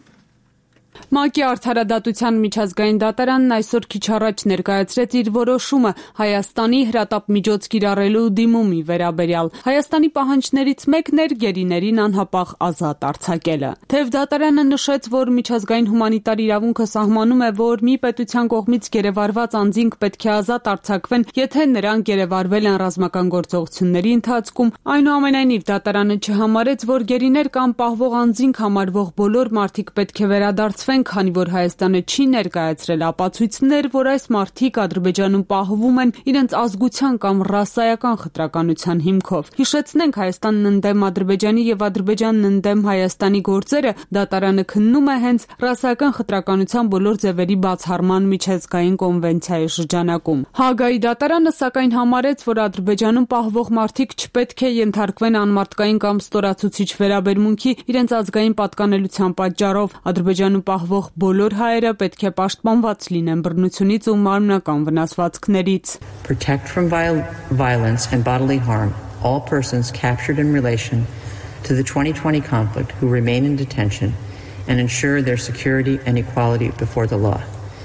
ՄԱԿ-ի արդարադատության միջազգային դատարանն այսօր քիչ առաջ ներկայացրեց իր որոշումը Հայաստանի հրատապ միջոց կիրառելու դիմումի վերաբերյալ։ Հայաստանի պահանջներից մեկն էր գերիներին անհապաղ ազատ արձակելը։ Թեև դատարանը նշեց, որ միջազգային հումանիտար իրավունքը սահմանում է, որ մի պետության կողմից գերեվարված անձինք պետք է ազատ արձակվեն, եթե նրանք գերեվարվել են ռազմական գործողությունների ընթացքում, այնուամենայնիվ դատարանը չհամարեց, որ գերիներ կամ պահվող անձինք համարվող բոլոր մարդիկ պետք է վերադարձվեն, քանի որ Հայաստանը չի ներկայացրել ապացույցներ, որ այս մարդիկ Ադրբեջանում պահվում են իրենց ազգության կամ ռասայական խտրականության հիմքով։ Հիշեցնենք, Հայաստանն ընդդեմ Ադրբեջանի եւ Ադրբեջանն ընդդեմ Հայաստանի գործերը դատարանը քննում է հենց ռասայական խտրականության բոլոր ձևերի բացառման միջազգային կոնվենցիայի շրջանակում։ Հաագայի դատարանը սակայն համարեց, որ Ադրբեջանում պահվող մարդիկ չպետք է ենթարկվեն անմարդկային կամ ստորացուցիչ վերաբերմունքի իրենց ազգային պատկանելության պատճառով։ Ադրբեջանում պահվող բոլոր հայերը պետք է պաշտպանված լինեն բռնությունից ու մարմնական վնասվածքներից։ Protect from violence and bodily harm all persons captured in relation to the twenty twenty conflict who remain in detention and ensure their security and equality before the law.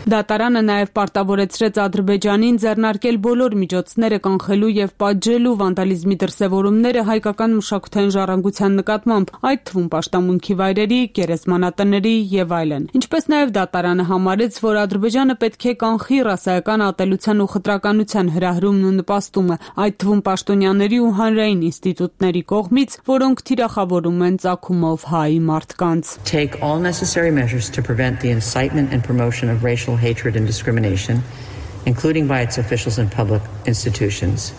Դատարանը նաև պարտավորեցրեց Ադրբեջանին ձեռնարկել բոլոր միջոցները կանխելու եւ պատժելու վանդալիզմի դրսեւորումները հայկական մշակութային ժառանգության նկատմամբ, այդ թվում պաշտամունքի վայրերի, գերեզմանատների եւ այլն։ Ինչպես նաև դատարանը համարեց, որ Ադրբեջանը պետք է կանխի ռասայական ատելության ու խտրականության հրահրումն ու նպաստումը, այդ թվում պաշտոնյաների ու հանրային ինստիտուտների կողմից, որոնք թիրախավորում են ծագումով հայ մարդկանց։ Take all necessary measures to prevent the incitement and promotion of racial hatred and discrimination, including by its officials and public institutions,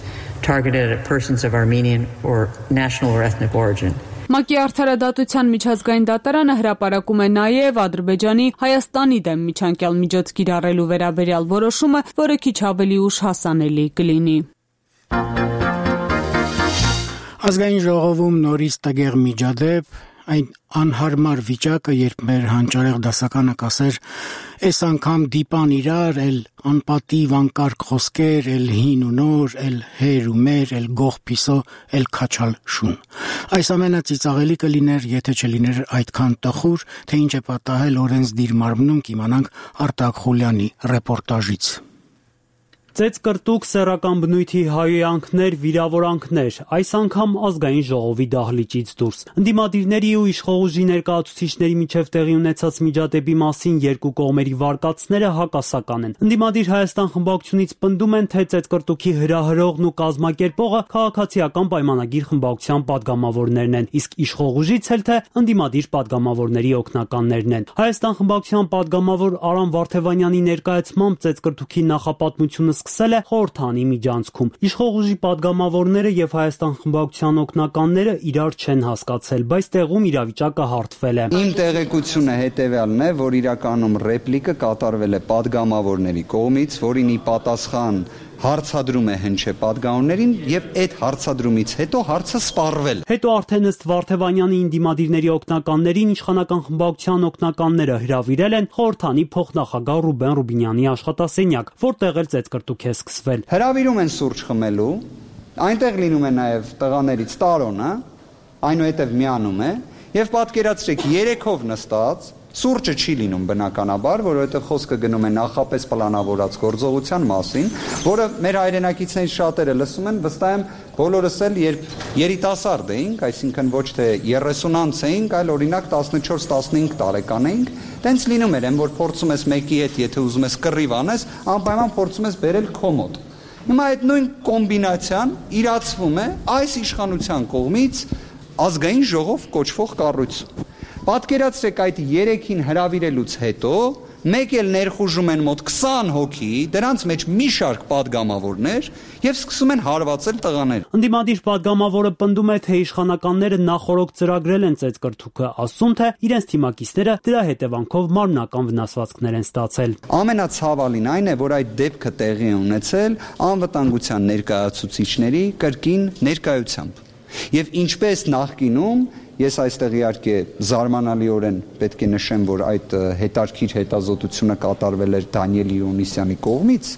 targeted at persons of Armenian or national or ethnic origin. ՄԱԿ-ի արդարադատության միջազգային դատարանը հրապարակում է նաև Ադրբեջանի Հայաստանի դեմ միջանկյալ միջոց կիրառելու վերաբերյալ որոշումը, որը քիչ ավելի ուշ հասանելի կլինի։ Ազգային ժողովում նորից տգեղ միջադեպ, այն անհարմար վիճակը, երբ մեր հանճարեղ դասականը կասեր, այս անգամ դիպան իրար, էլ անպատիվ անկարգ խոսքեր, էլ հին ու նոր, էլ հեր ու մեր, էլ գող պիսո, էլ քաչալ շուն։ Այս ամենը ծիծաղելի կլիներ, եթե չլիներ այդքան տխուր, թե ինչ է պատահել օրենսդիր մարմնում, կիմանանք Արտակ Խուլյանի ռեպորտաժից։ Ծեծկրտուկ սեռական բնույթի հայոյանքներ, վիրավորանքներ, այս անգամ ազգային ժողովի դահլիճից դուրս։ Ընդդիմադիրների ու իշխող ուժի ներկայացուցիչների միջև տեղի ունեցած միջադեպի մասին երկու կողմերի վարկածները հակասական են։ Ընդդիմադիր Հայաստան խմբակցությունից պնդում են, թե ծեծկրտուկի հրահրողն ու կազմակերպողը քաղաքացիական պայմանագիր խմբակցության падգամավորներն են, իսկ իշխող ուժից էլ թե ընդդիմադիր падգամավորների օգնականներն են։ Հայաստան խմբակցության падգամավոր Արամ Վարդևանյանի ներկայացմամբ ծեծկրտուկի նախապատմությունը սկսել է խորհրդանի միջանցքում։ Իշխող ուժի падգամավորները եւ Հայաստան խմբակցության օգնականները իրար չեն հասկացել, բայց տեղում իրավիճակը հարթվել է։ Իմ տեղեկությունը հետեւյալն է, որ իրականում ռեպլիկը կատարվել է падգամավորների կողմից, որին ի պատասխան հարցադրում է հնչե падգամավորներին եւ այդ հարցադրումից հետո հարցը սպառվել։ Հետո արդեն ըստ Վարդևանյանի ինդիմադիրների օգնականներին իշխանական խմբակցության օգնականները հրավիրել են խորհրդանի փոխնախագահ Ռուբեն Ռուբինյանի աշխատասենյակ, որտեղ էլ ծեծկրտուք է սկսվել։ Հրավիրում են սուրճ խմելու, այնտեղ լինում է նաեւ տղաներից Տարոնը, այնուհետեւ միանում է եւ պատկերացրեք երեքով նստած Սուրճը չի լինում բնականաբար, որովհետև խոսքը գնում է նախապես պլանավորած գործողության մասին, որը մեր հայրենակիցներից շատերը լսում են, վստահ եմ բոլորս էլ երբ երիտասարդ էինք, այսինքն ոչ թե երեսունանց էինք, այլ օրինակ տասնչորս տասնհինգ տարեկան էինք, տենց լինում էր, որ փորձում ես մեկի հետ, եթե ուզում ես կռիվ անես, անպայման փորձում ես բերել քո մոտ։ Հիմա այդ նույն կոմբինացիան իրացվում է այս իշխանության կողմից ազգային ժողով կոչվող կառույցում։ Պատկերացրեք այդ երեքին հրավիրելուց հետո մեկ էլ ներխուժում են մոտ քսան հոգի, դրանց մեջ մի շարք падգամավորներ եւ սկսում են հարվածել տղաներ։ Ընդդիմադիր падգամավորը պնդում է, թե իշխանականները նախորոք ծրագրել են ծեծկրտուկը, ասում թե իրենց թիմակիցները դրա հետևանքով մարմնական վնասվածքներ են ստացել։ Ամենացավալին այն է, որ այդ դեպքը տեղի է ունեցել անվտանգության ներկայացուցիչների կրկին ներկայությամբ։ Եվ ինչպես նախկինում Ես այստեղ իհարկե զարմանալիորեն պետք է նշեմ, որ այդ հետարքիր հետազոտությունը կատարվել էր Դանիել Իոնիսյանի կողմից,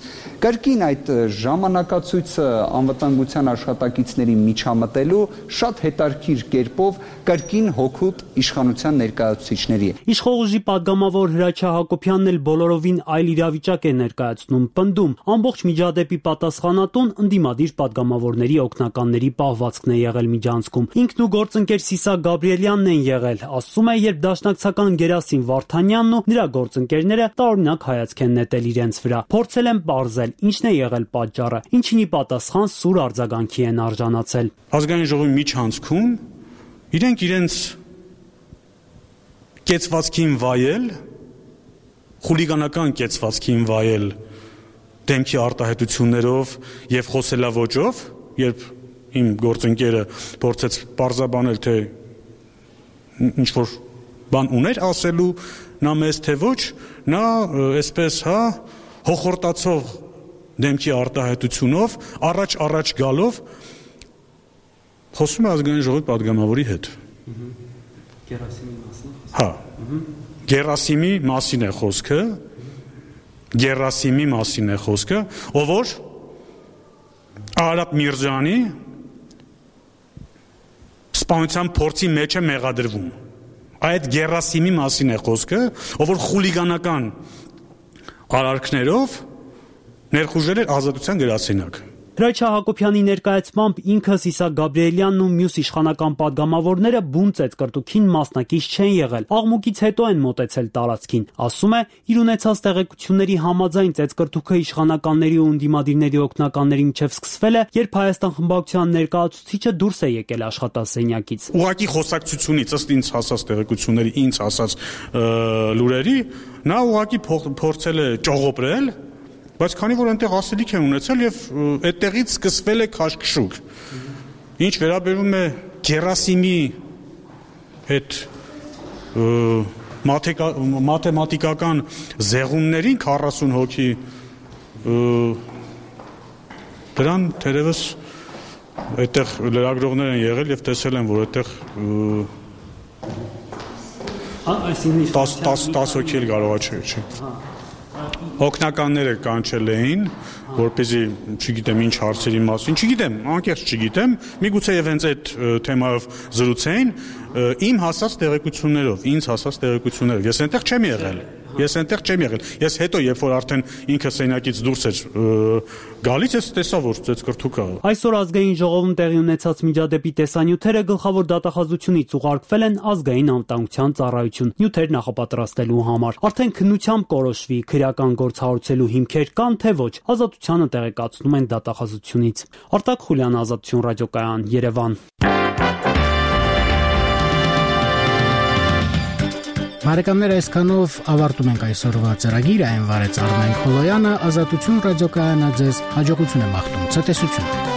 կրկին այդ ժամանակացույցը անվտանգության աշխատակիցների միջամտելու շատ հետարքիր կերպով կրկին հոգուտ իշխանության ներկայացուցիչների է։ Իշխող ուժի падգամավոր Հրաչյա Հակոբյանն էլ բոլորովին այլ իրավիճակ է ներկայացնում, պնդում, ամբողջ միջադեպի պատասխանատուն ընդդիմադիր падգամավորների օգնականների պահվածքն է եղել միջանցքում։ Ինքն ու գործընկեր Սիսակ Գաբրիելյանն են եղել, ասում է, երբ դաշնակցական Գերասիմ Վարդանյանն ու նրա գործընկերները տարօրինակ հայացք են նետել իրենց վրա։ Փորձել են պարզել, ինչն է եղել պատճառը, ինչին ի պատասխան սուր արձագանքի են արժանացել։ Ազգային ժողովի միջանցքում իրենք իրենց կեցվածքին վայել, խուլիգանական կեցվածքին վայել դեմքի արտահայտություններով եւ խոսելավոճով, երբ իմ գործընկերը փորձեց պարզաբանել, թե ինչ որ բան ուներ ասելու, նա մեզ թե ոչ, նա այսպես, հա, հոխորտացող դեմքի արտահայտությունով, առաջ-առաջ գալով խոսում է ազգային ժողովի падգամավորի հետ։ Գերասիմի մասին։ Հա։ Գերասիմի մասին է խոսքը, Գերասիմի մասին է խոսքը, ով որ Արաբ Միրզյանի սպանության փորձի մեջ է մեղադրվում։ Այդ Գերասիմի մասին է խոսքը, ով որ խուլիգանական արարքներով ներխուժել էր ազատության գրասենյակ։ Հրաչյա Հակոբյանի ներկայացմամբ ինքը Սիսակ Գաբրիելյանն ու մյուս իշխանական падգամավորները բուն ծեծկրտուքին մասնակից չեն եղել։ Աղմուկից հետո են մոտեցել տարածքին։ Ասում է, իր ունեցած տեղեկությունների համաձայն ծեծկրտուքը իշխանականների ու ընդդիմադիրների օգնականների միջև սկսվել է, երբ Հայաստան խմբակցության ներկայացուցիչը դուրս է եկել աշխատասենյակից։ Ուղղակի խոսակցությունից ըստ ինձ հասած տեղեկությունների, ինձ հասած լուրերի, նա ուղղակի փորձել է ճողոպրել բայց քանի որ այնտեղ ասելիք են ունեցել եւ այդտեղից սկսվել է քաշքշուկ։ Ինչ վերաբերում է Գերասիմի այդ մաթեմատիկական զեղումներին քառասուն հոգի դրան թերևս այդտեղ լրագրողներ են եղել եւ տեսել են, որ այդտեղ տասը հոգի էլ կարողա չէ։ Օգնականները կանչել էին, որպեսզի, չգիտեմ, ինչ հարցերի մասին, չգիտեմ, անկեղծ չգիտեմ, միգուցե եւ հենց այդ թեմայով զրուցեին, իմ հասած տեղեկություններով, ինձ հասած տեղեկություններով։ Ես այնտեղ չեմ եղել։ Ես այնտեղ չեմ եղել։ Ես հետո, երբ որ արդեն ինքը սենակից դուրս էր գալիս, ես տեսա, որ ծեծկրթուկա։ Այսօր ազգային ժողովում տեղի ունեցած միջադեպի տեսանյութերը գլխավոր դատախազությունից ուղարկվել են ազգային անվտանգության ծառայություն նյութեր նախապատրաստելու համար։ Արդեն քննությամբ կորոշվի քրեական գործ հարուցելու հիմքեր կան թե ոչ, ազատությանը տեղեկացնում են դատախազությունից։ Արտակ Խուլյան, Ազատություն ռադիոկայան, Երևան։ Բարեկամներ, այսքանով ավարտում ենք այսօրվա ծրագիրը, այն վարեց Արմեն Խոլոյանը, Ազատություն ռադիոկայանը ձեզ հաջողություն է մաղթում, ցտեսություն։